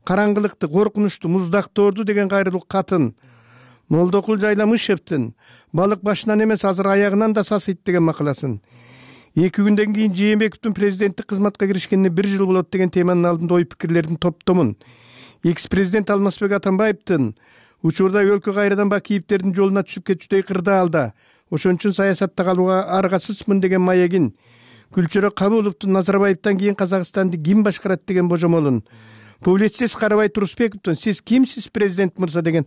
караңгылыкты, коркунучту, муздакторду деген кайрылуу катын, Молдокул Жайламышевдин балык башынан эмес азыр аягынан да сасыйт деген макаласын, эки күндөн кийин Жээнбековдун президенттик кызматка киришкенине бир жыл болот деген теманын алдында ой пикирлердин топтомун, экс-президент Алмазбек Атамбаевдин учурда өлкө кайрадан Бакиевдердин жолуна түшүп кетүүдөй кырдаалда, ошон үчүн саясатта калууга аргасызмын деген маегин, Күлчөрө Кабуловдун Назарбаевден кийин Казакстанды ким башкарат деген божомолун, публицист Карабай Турусбековдун сиз кимсиз президент мырза деген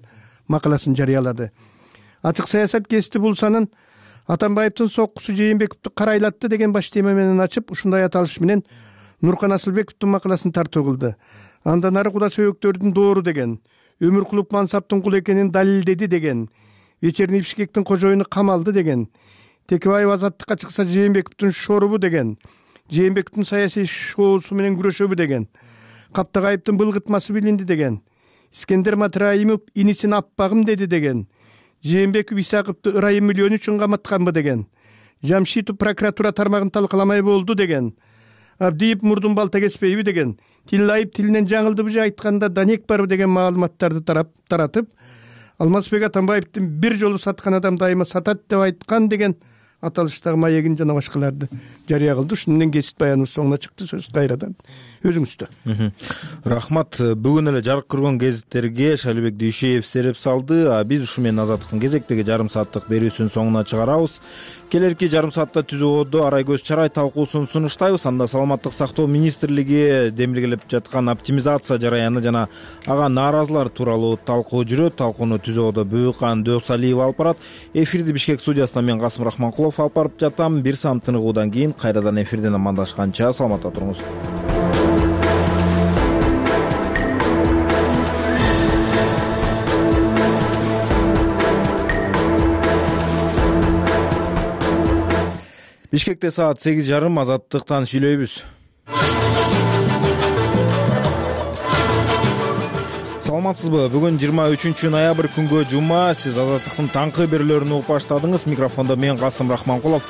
макаласын жарыялады. Ачык саясат гезити Булсанын Атамбаевдин соккусу Жээнбековду карайлатты деген баш тема менен ачып, ушундай аталыш менен Нуркан Асылбековдун макаласын тартуу кылды. Андан ары куда сөйөктөрдүн доору деген, Өмүркулов мансаптын кулу экенин далилдеди деген, Вечерний Бишкектин кожоюну камалды деген, Текебаев азаттыкка чыкса Жээнбековдун шорубу деген, Жээнбековдун саясий шоусу менен күрөшөбү деген, Каптагаевдин былгытмасы билинди деген, Искендер Матраимов инисин аппагым деди деген, Жээнбеков Исаковду ырайым миллион үчүн каматканбы деген, Жамшитов прокуратура тармагын талкаламай болду деген, Абдиев мурдун балта кеспейби деген, Тиллаев тилинен жаңылдыбы же айтканда данек барбы деген маалыматтарды таратып, Алмазбек Атамбаевдин бир жолу саткан адам дайыма сатат деп айткан деген аталыштагы маегин жана башкаларды жарыя кылды. Ушун менен кесип баяныбыз соңуна чыкты. Сөз кайрадан өзүңүздө. Рахмат. Бүгүн эле жарык көргөн гезиттерге Шайлообек Дүйшеев сереп салды. А биз ушу менен Азаттыктын кезектеги жарым сааттык берүүсүн соңуна чыгарабыз. Келерки жарым саатта түзөөдө арай көз чарай талкуусун сунуштайбыз. Анда саламаттык сактоо министрлиги демилгелеп жаткан оптимизация жараяны жана ага нааразылар тууралуу талкуу жүрөт. Талкууну түзөөдө Бүйкан Дөөсалиев алып барат. Эфирди Бишкек студиясынан мен Касым Рахманкулов алып барып жатам. Бир саам тыныгуудан кийин кайрадан эфирден амандашканча саламатта туруңуз. Бишкекте саат сегиз жарым. Азаттыктан сүйлөйбүз. Саламатсызбы? Бүгүн жыйырма үчүнчү ноябрь күнгө жума. Сиз Азаттыктын таңкы берүүлөрүн угуп баштадыңыз. Микрофондо мен Касым Рахманкулов.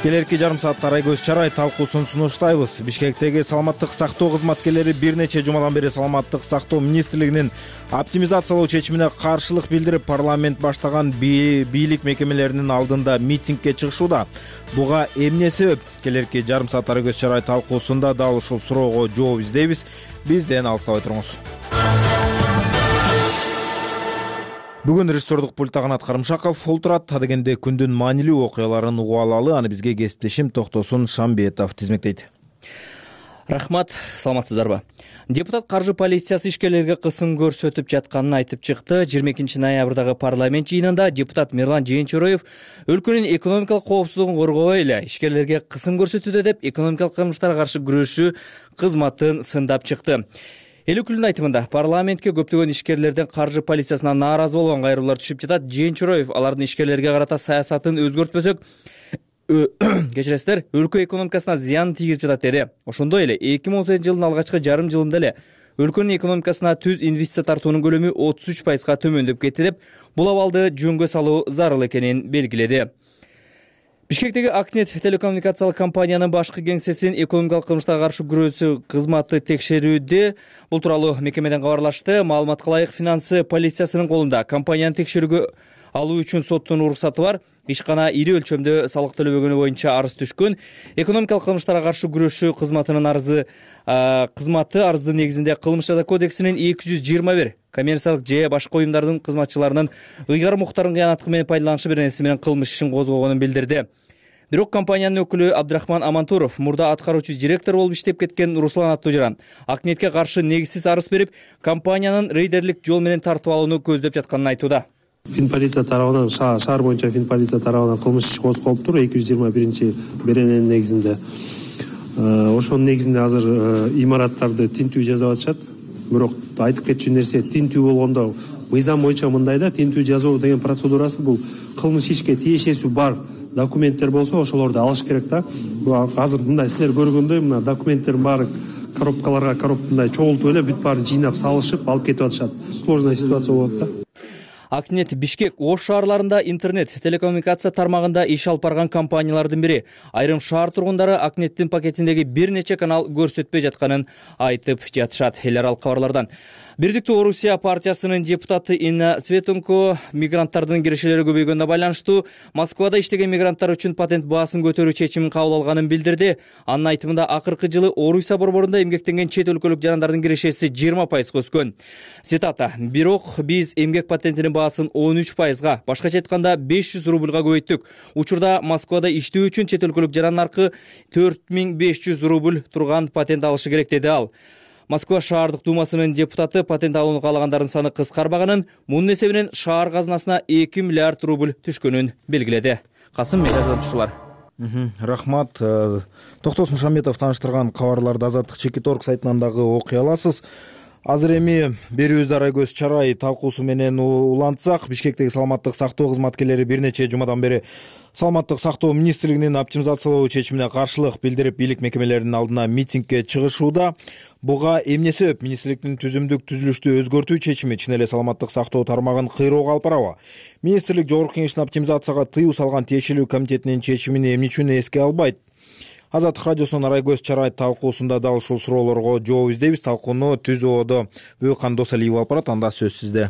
Келерки жарым саатта арай көз чарай талкуусун сунуштайбыз. Бишкектеги саламаттык сактоо кызматкерлери бир нече жумадан бери саламаттык сактоо министрлигинин оптимизациялоо чечимине каршылык билдирип, парламент баштаган бийлик мекемелеринин алдында митингге чыгышууда. Буга эмне себеп? Келерки жарым саат арай көз чарай талкуусунда дал ушул суроого жооп издейбиз. Бизден алыстабай туруңуз. Бүгүн режиссердук пультта Канат Карымшаков олтурат. Адегенде күндүн маанилүү окуяларын угуп алалы. Аны бизге кесиптешим Токтосун Шамбетов тизмектейт. Рахмат, саламатсыздарбы? Депутат каржы полициясы ишкерлерге кысым көрсөтүп жатканын айтып чыкты. жыйырма экинчи ноябрдагы парламент жыйынында депутат Мирлан Жээнчороев өлкөнүн экономикалык коопсуздугун коргобой эле ишкерлерге кысым көрсөтүүдө деп экономикалык кылмыштарга каршы күрөшүү кызматын сындап чыкты. Эл өкүлүнүн айтымында парламентке көптөгөн ишкерлерден каржы полициясына нааразы болгон кайрылуулар түшүп жатат. Жээнчороев алардын ишкерлерге карата саясатын өзгөртпөсөк, кечиресиздер, өлкө экономикасына зыян тийгизип жатат деди. Ошондой эле эки миң он сегизинчи жылдын алгачкы жарым жылында эле өлкөнүн экономикасына түз инвестиция тартуунун көлөмү отуз үч пайызга төмөндөп кетти деп, бул абалды жөнгө салуу зарыл экенин белгиледи. Бишкектеги Акнет телекоммуникациялык компаниянын башкы кеңсесин экономикалык кылмыштарга каршы күрөшүү кызматы текшерүүдө. Бул тууралуу мекемеден кабарлашты. Маалыматка ылайык, финансы полициясынын колунда компанияны текшерүүгө алуу үчүн соттун уруксаты бар. Ишкана ири өлчөмдө салык төлөбөгөнү боюнча арыз түшкөн. Экономикалык кылмыштарга каршы күрөшүү кызматынын арызы кызматы арыздын негизинде Кылмыш жаза кодексинин эки жүз жыйырма бир коммерциялык же башка уюмдардын кызматчыларынын ыйгар муктарын кыянаттык менен пайдаланышы беренеси менен кылмыш ишин козгогонун билдирди. Бирок компаниянын өкүлү Абдрахман Амантуров мурда аткаруучу директор болуп иштеп кеткен Руслан аттуу жаран Акнетке каршы негизсиз арыз берип, компаниянын рейдерлик жол менен тартып алууну көздөп жатканын айтууда. Финполиция тарабынан, шаар боюнча Финполиция тарабынан кылмыш иш козголуптур эки жүз жыйырма биринчи берененин негизинде. Ошонун негизинде азыр имараттарды тинтүү жасап атышат. Бирок айтып кетчү нерсе, тинтүү болгондо мыйзам боюнча мындай да, тинтүү жасоо деген процедурасы бул кылмыш ишке тиешеси бар документтер болсо ошолорду алыш керек да. Азыр мындай силер көргөндөй мына документтердин баары коробкаларга коробкандай чогултуп эле бүт баарын жыйнап салышып алып кетип атышат. Сложная ситуация болот да. Акнет Бишкек Ош шаарларында интернет телекоммуникация тармагында иш алып барган компаниялардын бири. Айрым шаар тургундары Акнеттин пакетиндеги бир нече канал көрсөтпөй жатканын айтып жатышат. Эл аралык кабарлардан. Бирдиктүү Орусия партиясынын депутаты Инна Светунко мигранттардын кирешелери көбөйгөнүнө байланыштуу Москвада иштеген мигранттар үчүн патент баасын көтөрүү чечимин кабыл алганын билдирди. Анын айтымында акыркы жылы Орусия борборунда эмгектенген чет өлкөлүк жарандардын кирешеси жыйырма пайызга өскөн. Цитата: "Бирок биз эмгек патентинин баасын он үч пайызга, башкача айтканда беш жүз рубльга көбөйттүк. Учурда Москвада иштөө үчүн чет өлкөлүк жаран наркы төрт миң беш жүз рубль турган патент алышы керек", деди ал. Москва шаардык думасынын депутаты патент алууну каалагандардын саны кыскарбаганын, мунун эсебинен шаар казынасына эки миллиард рубль түшкөнүн белгиледи. Касым Мегазончулар. Рахмат. Токтосун Шамбетов тааныштырган кабарларды Азаттык чекит орг сайтынан дагы окуй аласыз. Азыр эми берүүбүздү арай көз чарай талкуусу менен улантсак, Бишкектеги саламаттык сактоо кызматкерлери бир нече жумадан бери саламаттык сактоо министрлигинин оптимизациялоо чечимине каршылык билдирип, бийлик мекемелеринин алдына митингге чыгышууда. Буга эмне себеп? Министрликтин түзүмдүк түзүлүштү өзгөртүү чечими чын эле саламаттык сактоо тармагын кыйроого алып барабы? Министрлик Жогорку Кеңештин оптимизацияга тыюу салган тиешелүү комитетинин чечимин эмне үчүн эске албайт? Азаттык радиосунун арай көз чарай талкуусунда дал ушул суроолорго жооп издейбиз. Талкууну түзүүдө Бүйкан Досалиев алып барат. Анда сөз сизде.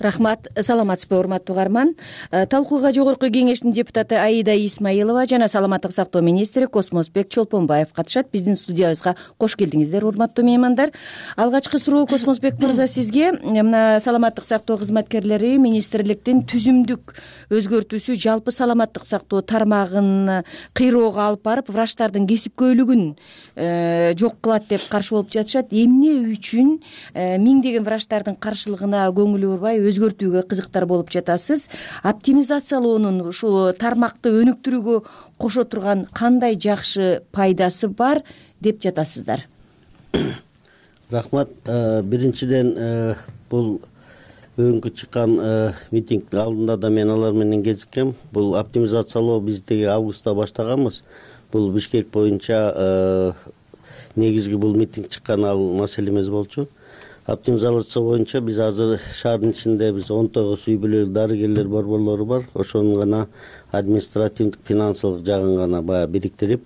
Рахмат, саламатсызбы урматтуу угарман. Талкууга Жогорку Кеңештин депутаты Аида Исмаилова жана саламаттык сактоо министри Космосбек Чолпонбаев катышат. Биздин студиябызга кош келдиңиздер, урматтуу меймандар. Алгачкы суроо, Космосбек мырза, сизге. Мына саламаттык сактоо кызматкерлери министрликтин түзүмдүк өзгөртүүсү жалпы саламаттык сактоо тармагын кыйроого алып барып, врачтардын кесипкөйлүгүн жок кылат деп каршы болуп жатышат. Эмне үчүн миңдеген врачтардын каршылыгына көңүлү бурбай өзгөртүүгө кызыктар болуп жатасыз? Оптимизациялоонун ушул тармакты өнүктүрүүгө кошо турган кандай жакшы пайдасы бар деп жатасыздар? Рахмат. Биринчиден, бул бүгүнкү чыккан митинг алдында да мен алар менен кезиккем. Бул оптимизациялоо биз теги августта баштаганбыз. Бул Бишкек боюнча негизги бул митинг чыккан ал маселе эмес болчу. Оптимизация боюнча биз азыр шаардын ичинде биз он тогуз үй бүлөлүк дарыгерлер борборлору бар. Ошонун гана административдик финансылык жагын гана баягы бириктирип,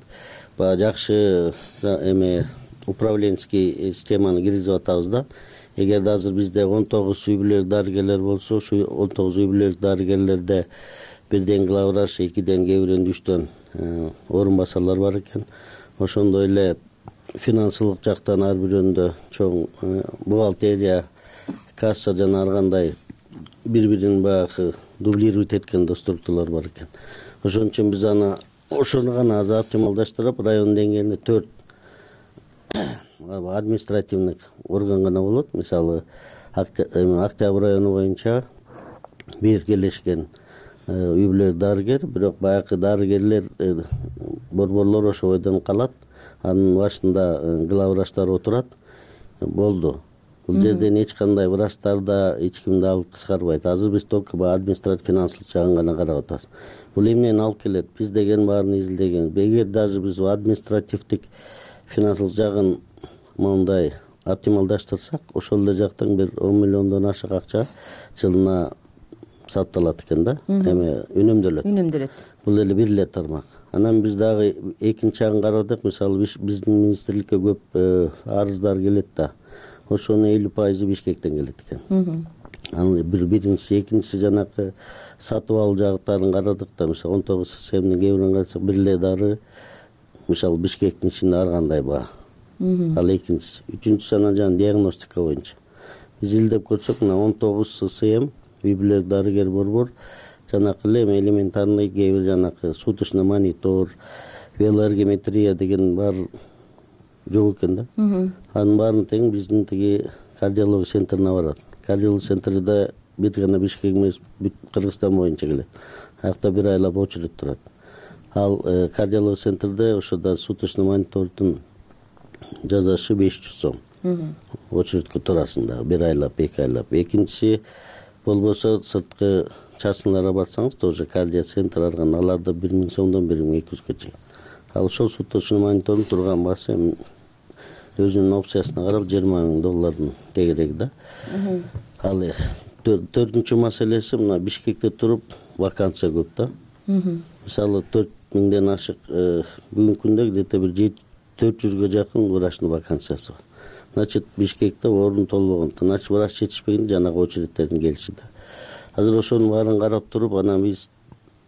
баягы жакшы эме управленческий системаны киргизип атабыз да. Эгерде азыр бизде он тогуз үй бүлөлүк дарыгерлер болсо, ошол он тогуз үй бүлөлүк дарыгерлерде бирден главврач, экиден, кээ биринде үчтөн орун басарлар бар экен. Ошондой эле финансылык жактан ар бирөөндө чоң бухгалтерия, касса жана ар кандай бири-бирин баягы дублировать эткен структуралар бар экен. Ошон үчүн биз аны ошону гана азыр оптималдаштырып, район деңгээлинде төрт административный орган гана болот. Мисалы, Октябрь району боюнча биргелешкен үй бүлөлүк дарыгер, бирок баягы дарыгерлер борборлор ошо бойдон калат. Анын башында главврачтар отурат. Болду. Бул жерден эч кандай врачтарда эч кимди алып кыскарбайт. Азыр биз только баягы административ финансылык жагын гана карап атабыз. Бул эмнени алып келет? Биз деген баарын изилдеген. Эгер даже биз административдик финансылык жагын мондай оптималдаштырсак, ошол эле жактан бир он миллиондон ашык акча жылына сапталат экен да, эме үнөмдөлөт. Үнөмдөлөт. Бул эле бир эле тармак. Анан биз дагы экинчи жагын карадык. Мисалы, биздин министрликке көп арыздар келет да. Ошонун элүү пайызы Бишкектен келет экен. Анын бир биринчиси, экинчиси жанакы сатып алуу жагыттарын карадык да. Мисалы, он тогуз системанын кээ бирин карасак, бир эле дары мисалы Бишкектин ичинде ар кандай баа. Ал экинчиси. Үчүнчүсү анан жана диагностика боюнча. Биз илдеп көрсөк, мына он тогуз ССМ үй бүлөлүк дарыгер борбор жанакы эле элементарный кээ бир жанакы суточный монитор, велоэргометрия деген бар жок экен да. Анын баарын тең биздин тиги кардиология центрине барат. Кардиология центрде бир гана Бишкек эмес, бүт Кыргызстан боюнча келет. Аякта бир айлап очередь турат. Ал кардиология центрде ошодо суточный монитордун жазашы беш жүз сом. Очередке турасың дагы бир айлап, эки айлап. Экинчиси болбосо сырткы частныйларга барсаңыз, тоже кардио центр арган, аларда бир миң сомдон бир миң эки жүзгө чейин. Ал ошол суточный монитордун турган баасы өзүнүн опциясына карап жыйырма миң доллардын тегереги да. Ал төртүнчү маселеси, мына Бишкекте туруп вакансия көп да. Мисалы, төрт миңден ашык бүгүнкү күндө где-то бир төрт жүзгө жакын врачтын вакансиясы бар. Значит, Бишкекте орун толбогон, значит, врач жетишпеген жанагы очередтердин келиши да. Азыр ошонун баарын карап туруп, анан биз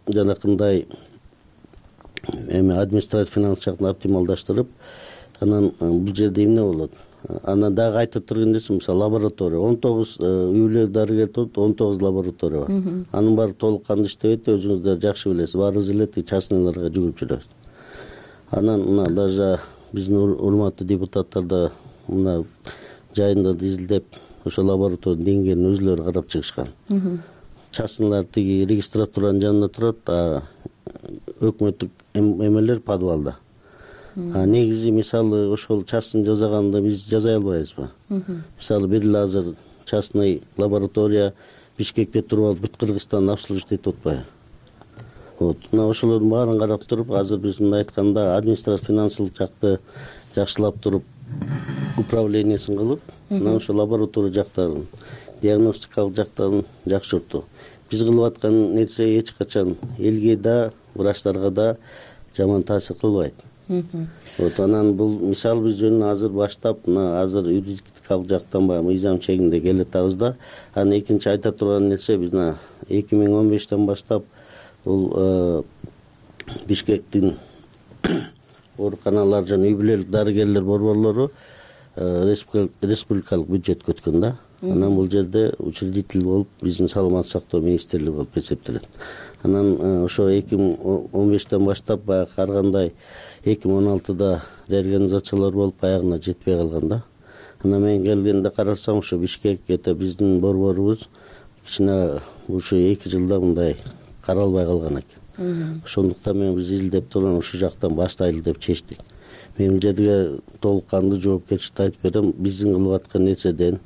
жанакындай эми административ финанс жактан оптималдаштырып, анан бул жерде эмне болот? Анан дагы айтып турган нерсе, мисалы, лаборатория. он тогуз үй бүлөлүк дарыгер турат, он тогуз лаборатория бар. Анын баары толук кандуу иштебейт, өзүңүздөр жакшы билесиз. Баарыбыз эле частныйларга жүгүрүп жүрөбүз. Анан мына даже биздин урматтуу депутаттар да мына жайында изилдеп, ошо лабораториянын деңгээлин өзүлөрү карап чыгышкан. Частныйлар тиги регистратуранын жанында турат, а өкмөттүк эмелер подвалда. А негизи, мисалы, ошол частный жасаганды биз жасай албайбызбы? Мисалы, бир эле азыр частный лаборатория Бишкекте туруп алып бүт Кыргызстанды обслуживать этип атпайбы? Вот. Мына ошолордун баарын карап туруп, азыр биз мындай айтканда административ финансылык жакты жакшылап туруп, управлениясын кылып, мына ошо лаборатория жактарын, диагностикалык жактарын жакшыртуу. Биз кылып аткан нерсе эч качан элге да, врачтарга да жаман таасир кылбайт. вот анан бул мисалы биз жөн азыр баштап мына азыр юридикалык жактан баягы мыйзам чегинде келатабыз да. Анан экинчи айта турган нерсе биз мына эки миң он бештен баштап бул Бишкектин ооруканалар жана үй бүлөлүк дарыгерлер борборлору республикалык бюджетке өткөн да. Анан бул жерде учредитель болуп биздин саламаттык сактоо министрлиги болуп эсептелет. Анан ошо эки миң он бештен баштап баягы ар кандай эки миң он алтыда реорганизациялар болуп аягына жетпей калган да. Анан мен келгенде карасам ошо Бишкек это биздин борборубуз кичине ушу эки жылда мындай каралбай калган экен. Ошондуктан мен биз изилдеп туруп ушул жактан баштайлы деп чечтик. Мен бул жерге толук кандуу жоопкерчиликти айтып берем. Биздин кылып аткан нерседен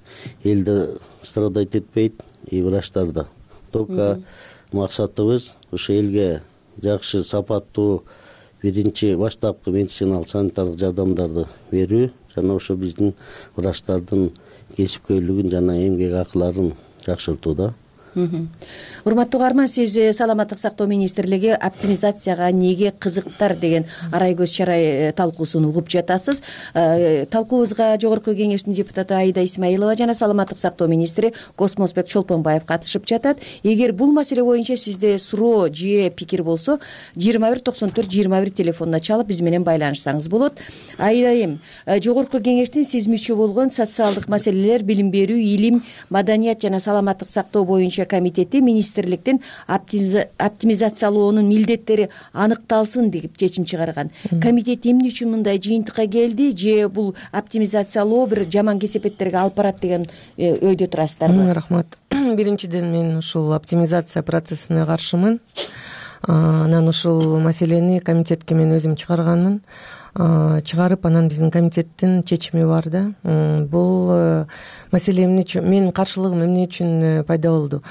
элде страдать этпейт, и врачтар да. Только максатыбыз ошо элге жакшы сапаттуу биринчи баштапкы медициналык санитардык жардамдарды берүү жана ошо биздин врачтардын кесипкөйлүгүн жана эмгек акыларын жакшыртуу да. Урматтуу угарман, сиз саламаттык сактоо министрлиги оптимизацияга неге кызыктар деген арай көз чарай талкуусун угуп жатасыз. Талкуубузга жогорку кеңештин депутаты Аида Исмаилова жана саламаттык сактоо министри Космосбек Чолпонбаев катышып жатат. Эгер бул маселе боюнча сизде суроо же пикир болсо жыйырма бир токсон төрт жыйырма бир телефонуна чалып биз менен байланышсаңыз болот. Аида айым, жогорку кеңештин сиз мүчө болгон социалдык маселелер, билим берүү, илим, маданият жана саламаттык сактоо боюнча комитети министрликтин оптимизациялоонун милдеттери аныкталсын деп чечим чыгарган. Комитет эмне үчүн мындай жыйынтыкка келди, же бул оптимизациялоо бир жаман кесепеттерге алып барат деген өйдө турасыздарбы? Рахмат. Биринчиден мен ушул оптимизация процессине каршымын. Анан ушул маселени комитетке мен өзүм чыгарганмын. Чыгарып анан биздин комитеттин чечими бар да. Бул маселе эмне үчүн, менин каршылыгым эмне үчүн пайда болду?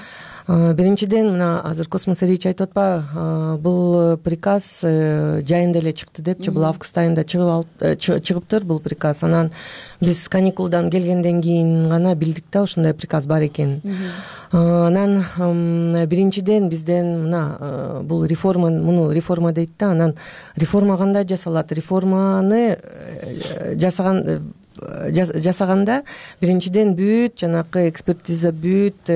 Биринчиден мына азыр Космос Рич айтып атпа, бул приказ жайында эле чыкты депчи, бул август айында чыгыптыр бул приказ. Анан биз каникулдан келгенден кийин гана билдик да ушундай приказ бар экенин. Анан биринчиден бизден мына бул реформа, муну реформа дейт да, анан реформа кандай жасалат? Реформаны жасаган жасаганда биринчиден бүт жанакы экспертиза, бүт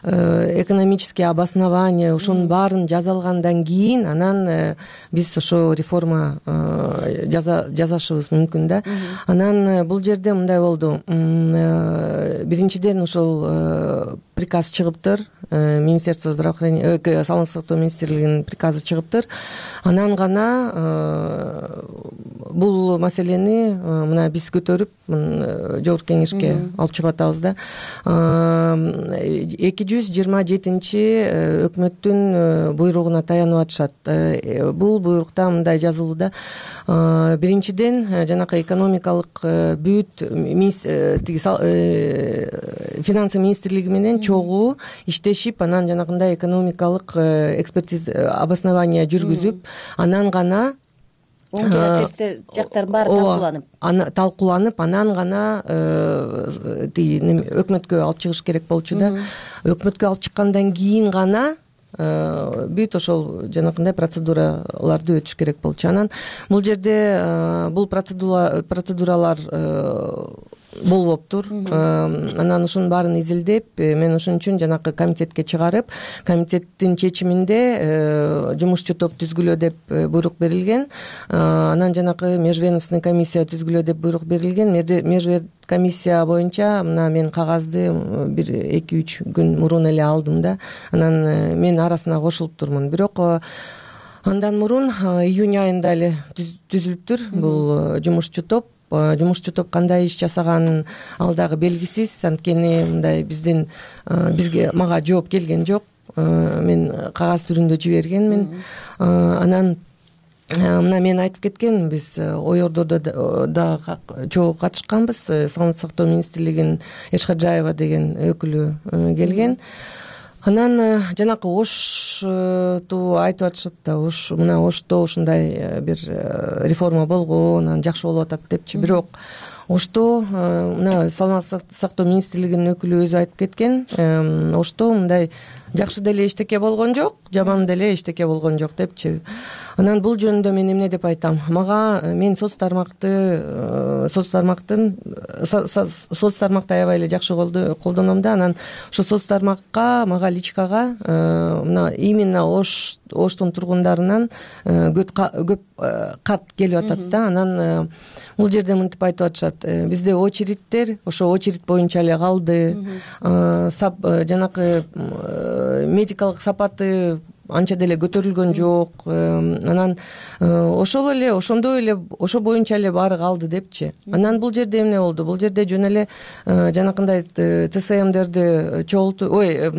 экономический обоснование ушунун баарын жаза алгандан кийин анан биз ошо реформа жасашыбыз мүмкүн да. Анан бул жерде мындай болду. Биринчиден ушул приказ чыгыптыр, Министерство здравоохранения, саламаттык сактоо министрлигинин приказы чыгыптыр. Анан гана бул маселени мына биз көтөрүп жогорку кеңешке алып чыгып атабыз да. эки жүз жыйырма жетинчи өкмөттүн буйругуна таянып атышат. Бул буйрукта мындай жазылуу да. Биринчиден жанакы экономикалык бүт финансы министрлиги менен чогуу иштешип, анан жанагындай экономикалык экспертиза, обоснование жүргүзүп, анан гана оң жана терс жактарын баары талкууланып талкууланып анан гана өкмөткө алып чыгыш керек болчу да. Өкмөткө алып чыккандан кийин гана бүт ошол жанакындай процедураларды өтүш керек болчу. Анан бул жерде бул процедуралар болбоптур. Анан ушунун баарын изилдеп, мен ошон үчүн жанакы комитетке чыгарып, комитеттин чечиминде жумушчу топ түзгүлө деп буйрук берилген. Анан жанакы межведомственный комиссия түзгүлө деп буйрук берилген. Межвед комиссия боюнча мына мен кагазды бир эки үч күн мурун эле алдым да. Анан мен арасына кошулуптурмун. Бирок андан мурун июнь айында эле түзүлүптүр бул жумушчу топ. Жумушчу топ кандай иш жасаганын ал дагы белгисиз. Анткени мындай биздин бизге мага жооп келген жок. Мен кагаз түрүндө жибергенмин. Анан мына мен айтып кеткен, биз ой ордодо да чогуу катышканбыз. Саламаттык сактоо министрлигинин Эшкаджаева деген өкүлү келген. Анан жанакы Ошту айтып атышат да, Ош мына Ошто ушундай бир реформа болгон, анан жакшы болуп атат депчи. Бирок ошто мына саламаттык сактоо министрлигинин өкүлү өзү айтып кеткен. Ошто мындай жакшы деле эчтеке болгон жок, жаман деле эчтеке болгон жок депчи. Анан бул жөнүндө мен эмне деп айтам? Мага мен соц тармакты соц тармактын соц тармакты аябай эле жакшы колдоном да. Анан ошо соц тармакка, мага личкага мына именно Ош Оштун тургундарынан көп кат келип атат да. Анан бул жерде мынтип айтып атышат: бизде очередтер ошо очередь боюнча эле калды, жанакы медикалык сапаты анча деле көтөрүлгөн жок. Анан ошол эле ошондой эле ошо боюнча эле баары калды депчи. Анан бул жерде эмне болду? Бул жерде жөн эле жанакындай ТСМдерди чогултуп, ой,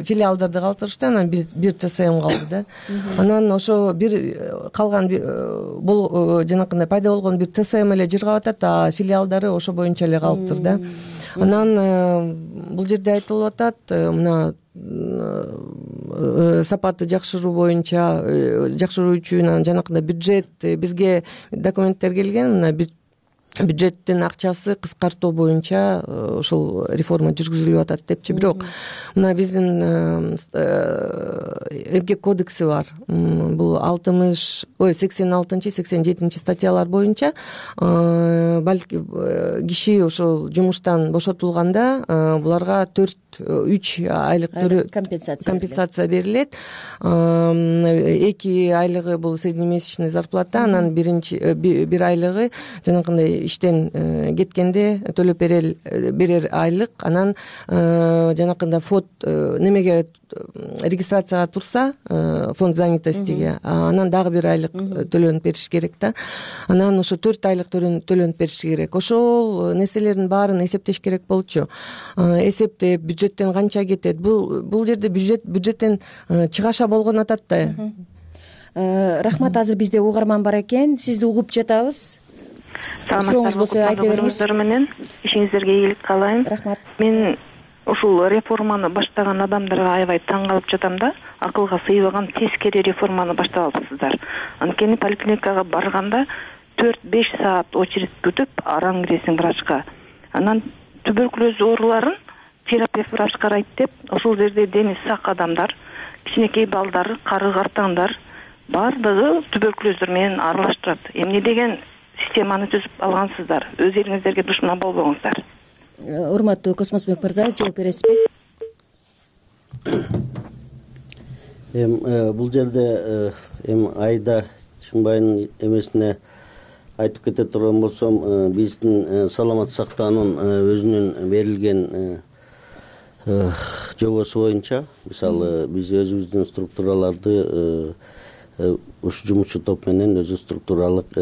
филиалдарды калтырышты. Анан бир бир ТСМ калды да. Анан ошо бир калган бул жанакындай пайда болгон бир ТСМ эле жыргап атат, а филиалдары ошо боюнча эле калыптыр да. Анан бул жерде айтылып атат, мына сапатты жакшыруу боюнча жакшыруу үчүн жанакындай бюджет бизге документтер келген. Мына бюджеттин акчасы кыскартуу боюнча ушул реформа жүргүзүлүп атат депчи. Бирок мына биздин эмгек кодекси бар. Бул алтымыш ой сексен алтынчы сексен жетинчи статьялар боюнча балки киши ошол жумуштан бошотулганда буларга төрт үч айлык компенсация берилет. Эки айлыгы бул среднемесячный зарплата, анан биринчи бир айлыгы жанакындай иштен кеткенде төлөп берер айлык. Анан жанакындай фонд немеге регистрацияга турса, фонд занятостиге, анан дагы бир айлык төлөнүп бериш керек да. Анан ошо төрт айлык төлөнүп бериш керек. Ошол нерселердин баарын эсептеш керек болчу. Эсептеп бюджеттен канча кетет? Бул бул жерде бюджет бюджеттен чыгаша болгон атат да. Рахмат, азыр бизде угарман бар экен. Сизди угуп жатабыз. Сурооңуз болсо айта бериңиз. Менен ишиңиздерге ийгилик каалайм. Рахмат. Мен ушул реформаны баштаган адамдарга аябай таң калып жатам да. Акылга сыйбаган тескери реформаны баштап алыпсыздар. Анткени поликлиникага барганда төрт беш саат очередь күтүп араң киресиң врачка. Анан туберкулез ооруларын терапевт врач карайт деп, ошол жерде дени сак адамдар, кичинекей балдар, кары картаңдар баардыгы туберкулездер менен аралаштырат. Эмне деген системаны түзүп алгансыздар? Өз элиңиздерге душман болбоңуздар. Урматтуу Космосбек мырза, жооп бересизби? Эми бул жерде эми Айда Чыңбайдын эмесине айтып кете турган болсом, биздин саламат сактоонун өзүнүн берилген жобосу боюнча, мисалы биз өзүбүздүн структураларды ушу жумушчу топ менен өзү структуралык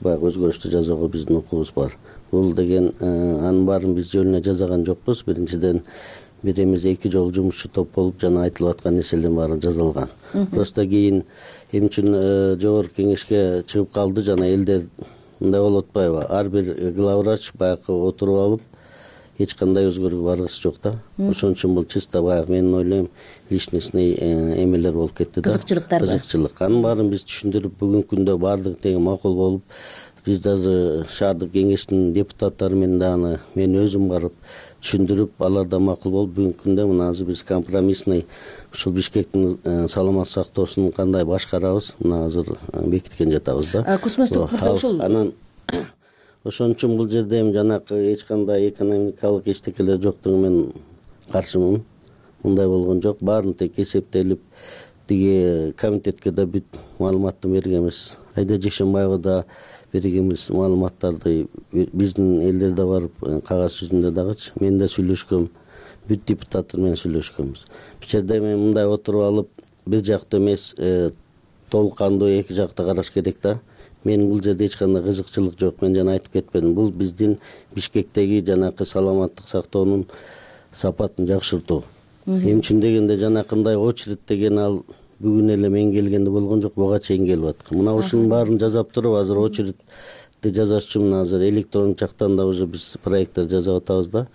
баягы өзгөрүштү жасоого биздин укугубуз бар. Бул деген анын баарын биз жөнүнө жасаган жокпуз. Биринчиден бир эмес эки жолу жумушчу топ болуп жана айтылып аткан нерселердин баары жазылган. Просто кийин эмне үчүн жогорку кеңешке чыгып калды, жана элдер мындай болуп атпайбы? Ар бир главврач баягы отуруп алып эч кандай өзгөрүүгө баргысы жок да. Ошон үчүн бул чисто баягы менин ойлойм личностный эмелер болуп кетти да. Кызыкчылыктар. Кызыкчылык. Анын баарын биз түшүндүрүп, бүгүнкү күндө баардыгы тең макул болуп, биз дагы шаардык кеңештин депутаттары менен дагы мен өзүм барып түшүндүрүп, алар да макул болуп, бүгүнкү күндө мына азыр биз компромиссный ушул Бишкектин саламат сактоосун кандай башкарабыз, мына азыр бекиткен жатабыз да. Космостук мырза, ушул анан ошон үчүн бул жерде эми жанакы эч кандай экономикалык эчтекелер жоктугу мен каршымын. Мындай болгон жок. Баарын тек эсептелип, тиги комитетке да бүт маалыматты бергенбиз. Айда Жекшенбаева да бергенбиз маалыматтарды, биздин элдерде барып кагаз жүзүндө дагычы мен да сүйлөшкөм, бүт депутаттар менен сүйлөшкөнбүз. Бул жерде мен мындай отуруп алып, бир жактуу эмес, толук кандуу эки жакты караш керек да. Мен бул жерде эч кандай кызыкчылык жок. Мен жана айтып кетпедим. Бул биздин Бишкектеги жанакы саламаттык сактоонун сапатын жакшыртуу. Эмне үчүн дегенде жанакындай очередь деген ал бүгүн эле мен келгенде болгон жок, буга чейин келип аткан. Мына ушунун баарын жасап туруп, азыр очередьти жасаш үчүн азыр электрондук жактан да уже биз проекттер жасап атабыз да.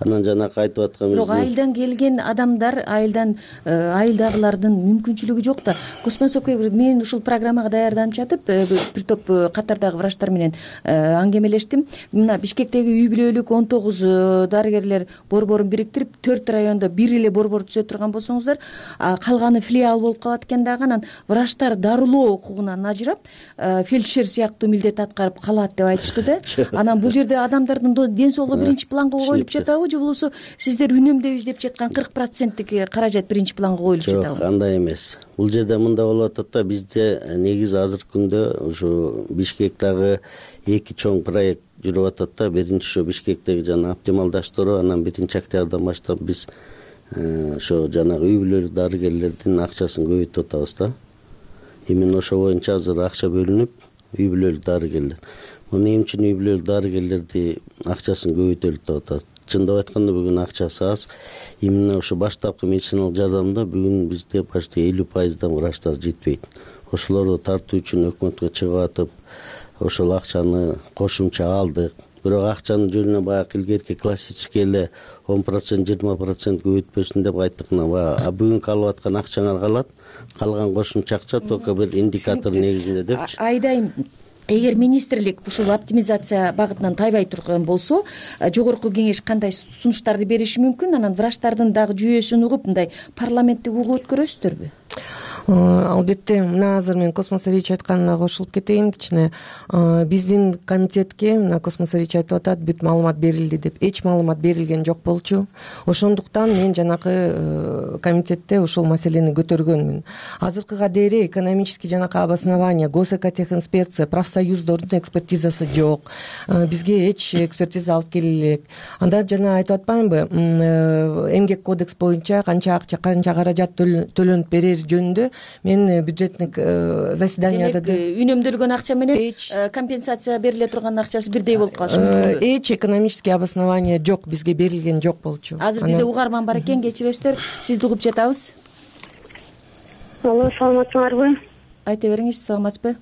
анан жанакы айтып аткан бирок айылдан келген адамдар айылдан айылдагылардын мүмкүнчүлүгү жок да. Космосовко мен ушул программага даярданып жатып бир топ катардагы врачтар менен аңгемелештим. Мына Бишкектеги үй бүлөлүк он тогуз дарыгерлер борборун бириктирип төрт райондо бир эле борбор түзө турган болсоңуздар, калганы филиал болуп калат экен дагы. Анан врачтар дарылоо укугунан ажырап, фельдшер сыяктуу милдет аткарып калат деп айтышты да. Анан бул жерде адамдардын ден соолугу биринчи планга коюлуп жатабы, же болбосо сиздер үнөмдөйбүз деп жаткан кырк проценттик каражат биринчи планга коюлуп жатабы? Жок, андай эмес. Бул жерде мындай болуп атат да, бизде негизи азыркы күндө ушу Бишкектагы эки чоң проект жүрүп атат да. Биринчи ошо Бишкектеги жана оптималдаштыруу, анан биринчи октябрдан баштап биз ошо жанагы үй бүлөлүк дарыгерлердин акчасын көбөйтүп атабыз да. Именно ошо боюнча азыр акча бөлүнүп, үй бүлөлүк дарыгерлер. Муну эмне үчүн үй бүлөлүк дарыгерлерди акчасын көбөйтөлү деп атат? Чындап айтканда бүгүн акчасы аз. Именно ошо баштапкы медициналык жардамда бүгүн бизде почти элүү пайыздан врачтар жетпейт. Ошолорду тартуу үчүн өкмөткө чыгып атып, ошол акчаны кошумча алдык. Бирок акчанын жөнүнө баягы илгерки классический эле он процент жыйырма процент көбөйтпөсүн деп айттык. Мына баягы бүгүнкү алып аткан акчаңар калат, калган кошумча акча только бир индикатор негизинде депчи. Айдайм, эгер министрлик ушул оптимизация багытынан тайбай турган болсо, жогорку кеңеш кандай сунуштарды бериши мүмкүн? Анан врачтардын дагы жүйөсүн угуп, мындай парламенттик угуп өткөрөсүздөрбү? Албетте, мына азыр мен Космос Рич айтканына кошулуп кетейин кичине. Биздин комитетке мына Космос Рич айтып атат, бүт маалымат берилди деп. Эч маалымат берилген жок болчу. Ошондуктан мен жанакы комитетте ушул маселени көтөргөнмүн. Азыркыга дейин экономический жанакы обоснование, госэкотехинспекция, профсоюздордун экспертизасы жок. Бизге эч экспертиза алып келе элек. Анда жана айтып атпаймынбы, эмгек кодекс боюнча канча акча, канча каражат төлөнүп берер жөнүндө мен бюджетник заседанияда демек үнөмдөлгөн акча менен компенсация бериле турган акчасы бирдей болуп калышы мүмкүн. Эч экономический обоснование жок, бизге берилген жок болчу. Азыр бизде угарман бар экен, кечиресиздер, сизди угуп жатабыз. Алло, саламатсыңарбы? Айта бериңиз, саламатсызбы?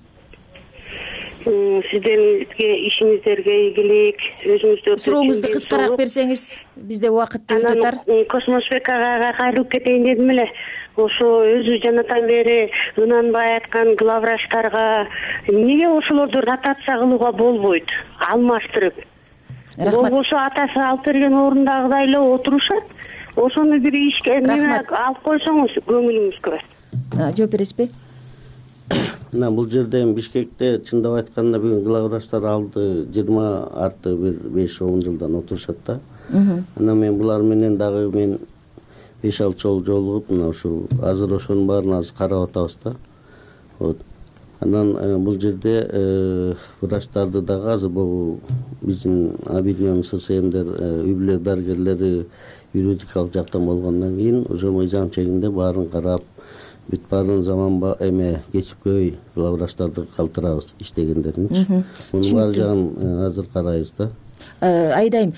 Сиздерге ишиңиздерге ийгилик, өзүңүздү сурооңузду кыскараак берсеңиз, бизде убакыт өтө тар. Космосбек агага кайрылып кетейин дедим эле. Ошо өзү жанатан бери ынанбай айткан главврачтарга эмнеге ошолорду ротация кылууга болбойт, алмаштырып? Болбосо атасы алып берген орундагыдай эле отурушат. Ошону бир ишке алып койсоңуз көңүлүңүзгө. Жооп бересизби? Мына бул жерде эми Бишкекте чындап айтканда бүгүн главврачтар алды жыйырма арты бир беш он жылдан отурушат да. Анан мен булар менен дагы мен беш алты жолу жолугуп, мына ушул азыр ошонун баарын азыр карап атабыз да. Вот. Анан бул жерде врачтарды дагы азыр бул биздин объединенный ССМдер, үй бүлөлүк дарыгерлери юридикалык жактан болгондон кийин уже мыйзам чегинде баарын карап, бүт баарын заманба эме кесипкөй главврачтарды калтырабыз иштегендеринчи. Мунун баары жагын азыр карайбыз да. Айдайм,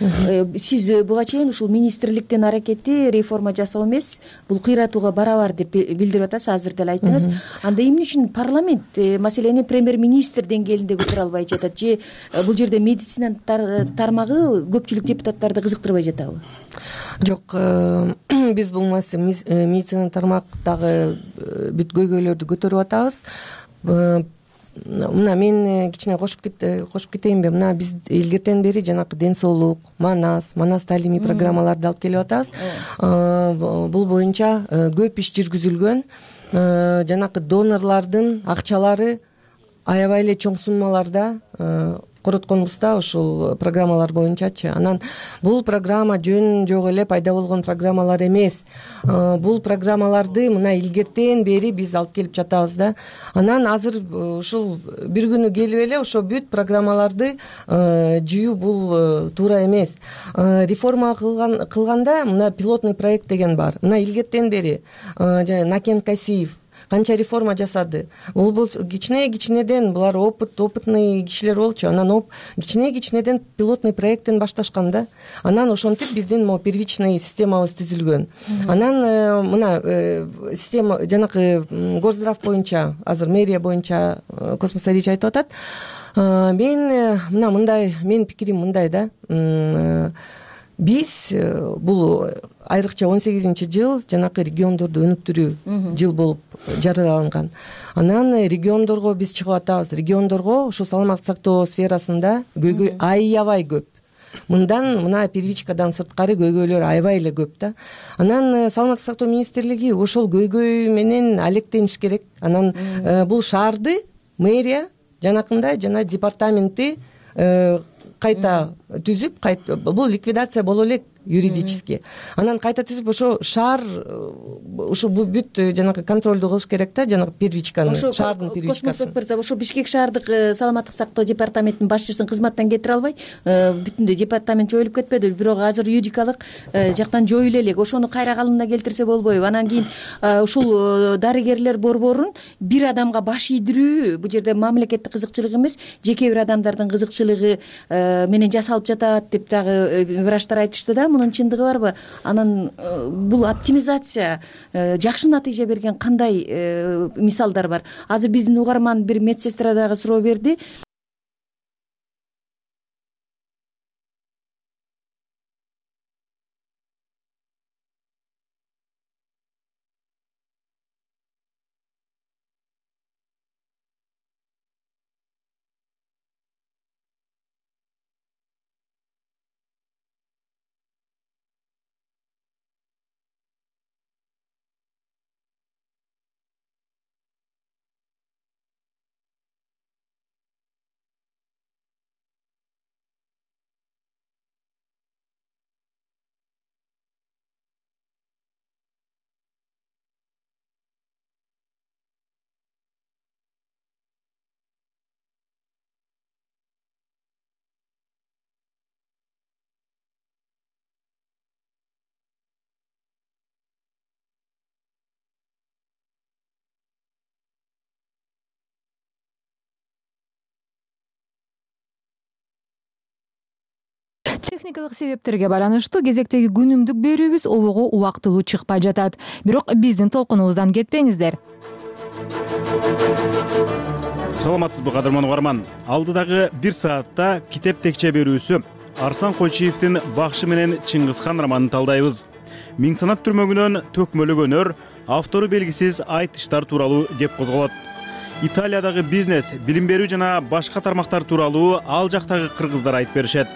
сиз буга чейин ушул министрликтин аракети реформа жасоо эмес, бул кыйратууга барабар деп билдирип атасыз, азыр деле айттыңыз. Анда эмне үчүн парламент маселени премьер-министр деңгээлинде көтөрө албай жатат, же бул жерде медицина тармагы көпчүлүк депутаттарды кызыктырбай жатабы? Жок, биз бул медицина тармактагы бүт көйгөйлөрдү көтөрүп атабыз. Мына мен кичине кошуп кошуп кетейинби? Мына биз илгертен бери жанакы ден соолук, манас, манас таалимий программаларды алып келип атабыз. Бул боюнча көп иш жүргүзүлгөн. Жанакы донорлордун акчалары аябай эле чоң суммаларда коротконбуз да ушул программалар боюнчачы. Анан бул программа жөн жок эле пайда болгон программалар эмес. Бул программаларды мына илгертен бери биз алып келип жатабыз да. Анан азыр ушул бир күнү келип эле ошо бүт программаларды жыюу бул туура эмес. Реформа кылган кылганда мына пилотный проект деген бар. Мына илгертен бери Накен Касиев канча реформа жасады. Бул бул кичине-кичинеден булар опыт, опытный кишилер болчу. Анан кичине-кичинеден пилотный проекттен башташкан да. Анан ошентип биздин могу первичный системабыз түзүлгөн. Анан мына система жанакы Горздрав боюнча, азыр мэрия боюнча Космос Рич айтып атат. Мен мына мындай, менин пикирим мындай да. биз бул айрыкча он сегизинчи жыл жанакы региондорду өнүктүрүү жыл болуп жарыяланган. Анан региондорго биз чыгып атабыз. Региондорго ушул саламаттык сактоо сферасында көйгөй аябай көп. Мындан мына первичкадан сырткары көйгөйлөр аябай эле көп да. Анан саламаттык сактоо министрлиги ошол көйгөй менен алектениш керек. Анан бул шаарды мэрия жанакындай жана департаменти кайта түзүп, бул ликвидация боло элек юридически. Анан кайта түзүп ошо шаар ошо бул бүт жанагы контролду кылыш керек да, жанагы первичканы, шаардын первичкасын. Космосбек мырза, ошо Бишкек шаардык саламаттык сактоо департаментинин башчысын кызматтан кетире албай, бүтүндөй департамент жоюлуп кетпеди, бирок азыр юридикалык жактан жоюла элек. Ошону кайра калыбына келтирсе болбойбу? Анан кийин ушул дарыгерлер борборун бир адамга баш ийдирүү, бул жерде мамлекеттик кызыкчылык эмес, жеке бир адамдардын кызыкчылыгы менен жасалып жатат деп дагы врачтар айтышты да. Мунун чындыгы барбы? Анан бул оптимизация жакшы натыйжа берген кандай мисалдар бар? Азыр биздин угарман бир медсестра дагы суроо берди. Техникалык себептерге байланыштуу кезектеги күнүмдүк берүүбүз обого убактылуу чыкпай жатат. Бирок биздин толкунубуздан кетпеңиздер. Саламатсызбы кадырман угарман? Алдыдагы бир саатта китеп текче берүүсү Арслан Койчиевдин Бакшы менен Чыңгызхан романын талдайбыз. Миң санат түрмөгүнөн төкмөлөгөнөр, автору белгисиз айтыштар тууралуу кеп козголот. Италиядагы бизнес, билим берүү жана башка тармактар тууралуу ал жактагы кыргыздар айтып беришет.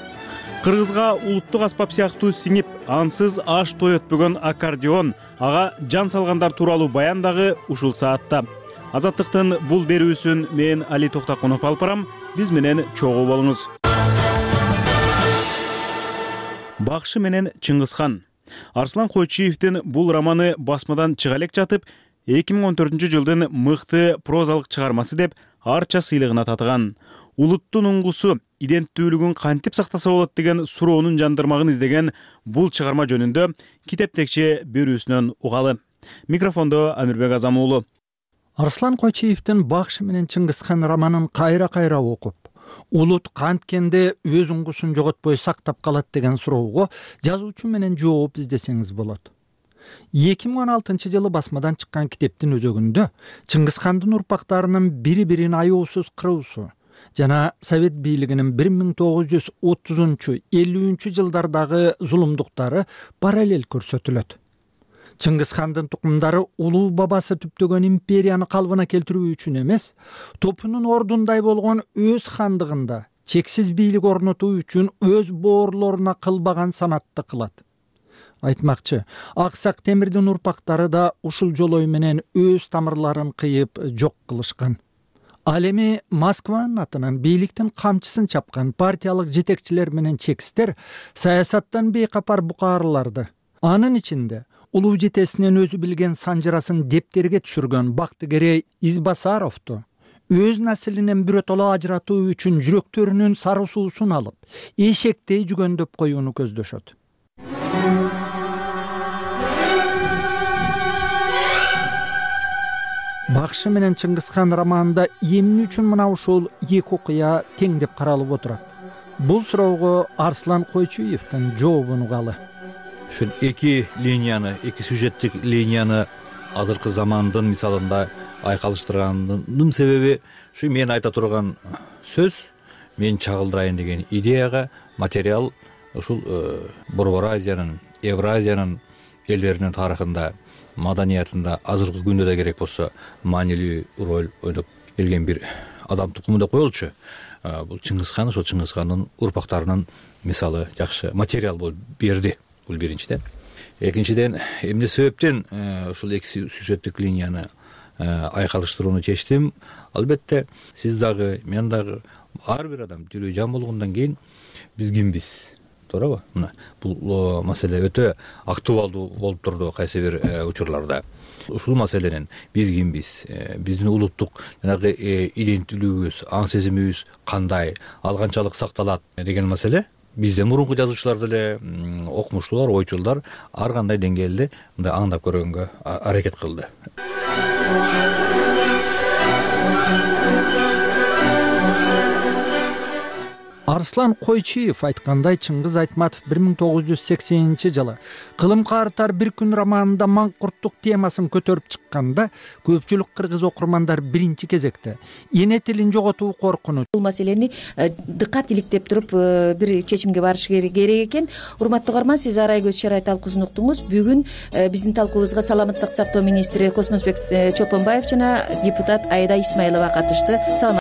Кыргызга улуттук аспап сыяктуу сиңип, ансыз аш той өтпөгөн аккордеон, ага жан салгандар тууралуу баян дагы ушул саатта. Азаттыктын бул берүүсүн мен Али Токтакунов алып барам, биз менен чогуу болуңуз. Бакшы менен Чыңгызхан. Арслан Койчиевдин бул романы басмадан чыга элек жатып, эки миң он төртүнчү жылдын мыкты прозалык чыгармасы деп арча сыйлыгына татыган. Улуттун уңгусу, иденттүүлүгүн кантип сактаса болот деген суроонун жандырмагын издеген бул чыгарма жөнүндө китеп текче берүүсүнөн угалы. Микрофондо Амирбек Азам уулу. Арслан Койчиевдин Бакшы менен Чыңгызхан романын кайра-кайра окуп, улут канткенде өз уңгусун жоготпой сактап калат деген суроого жазуучу менен жооп издесеңиз болот. эки миң он алтынчы жылы басмадан чыккан китептин өзөгүндө Чыңгызхандын урпактарынын бири-бирин аяосуз кыруусу жана Совет бийлигинин бир миң тогуз жүз отузунчу элүүнчү жылдардагы зулумдуктары параллель көрсөтүлөт. Чыңгызхандын тукумдары улуу бабасы түптөгөн империяны калыбына келтирүү үчүн эмес, топунун ордундай болгон өз хандыгында чексиз бийлик орнотуу үчүн өз боорлоруна кылбаган санатты кылат. Айтмакчы, Аксак Темирдин урпактары да ушул жолой менен өз тамырларын кыйып жок кылышкан. Ал эми Москванын атынан бийликтин камчысын чапкан партиялык жетекчилер менен чекистер саясаттан бейкапар букаарларды, анын ичинде улуу жетесинен өзү билген санжырасын дептерге түшүргөн Бактыгерей Избасаровду өз наслинен биротоло ажыратуу үчүн жүрөктөрүнүн сары суусун алып, эшектей жүгөндөп коюуну көздөшөт. Бакшы менен Чыңгызхан романында эмне үчүн мына ушул эки окуя теңдеп каралып отурат? Бул суроого Арслан Койчиевдин жообун угалы. Ушул эки линияны, эки сюжеттик линияны азыркы замандын мисалында айкалыштырганымдын себеби ушу мен айта турган сөз, мен чагылдырайын деген идеяга материал ушул Борбор Азиянын, Евразиянын элдеринин тарыхында, маданиятында азыркы күндө да керек болсо маанилүү роль ойноп келген бир адам тукуму деп коелучу. Бул Чыңгыз хан, ошол Чыңгыз хандын урпактарынын мисалы жакшы материал болуп берди. Бул биринчиден. Экинчиден, эмне себептен ушул эки сюжеттик линияны айкалыштырууну чечтим? Албетте, сиз дагы, мен дагы, ар бир адам тирүү жан болгондон кийин биз кимбиз? Туурабы? Мына бул маселе өтө актуалдуу болуп турду кайсы бир учурларда. Ушул маселенин биз кимбиз, биздин улуттук жанагы иденттүүлүгүбүз, аң сезимибиз кандай, ал канчалык сакталат деген маселе бизден мурунку жазуучулар деле, окумуштуулар, ойчулдар ар кандай деңгээлде мындай аңдап көргөнгө аракет кылды. Арслан Койчиев айткандай, Чыңгыз Айтматов бир миң тогуз жүз сексенинчи жылы Кылым каартар бир күн романында маңкурттук темасын көтөрүп чыкканда, көпчүлүк кыргыз окурмандар биринчи кезекте эне тилин жоготуу коркунуч. Бул маселени дыккат иликтеп туруп бир чечимге барыш керек экен. Урматтуу угарман, сиз Арай көз чарай талкуусун уктуңуз. Бүгүн биздин талкуубузга саламаттык сактоо министри Космосбек Чолпонбаев жана депутат Айда Исмаилова катышты.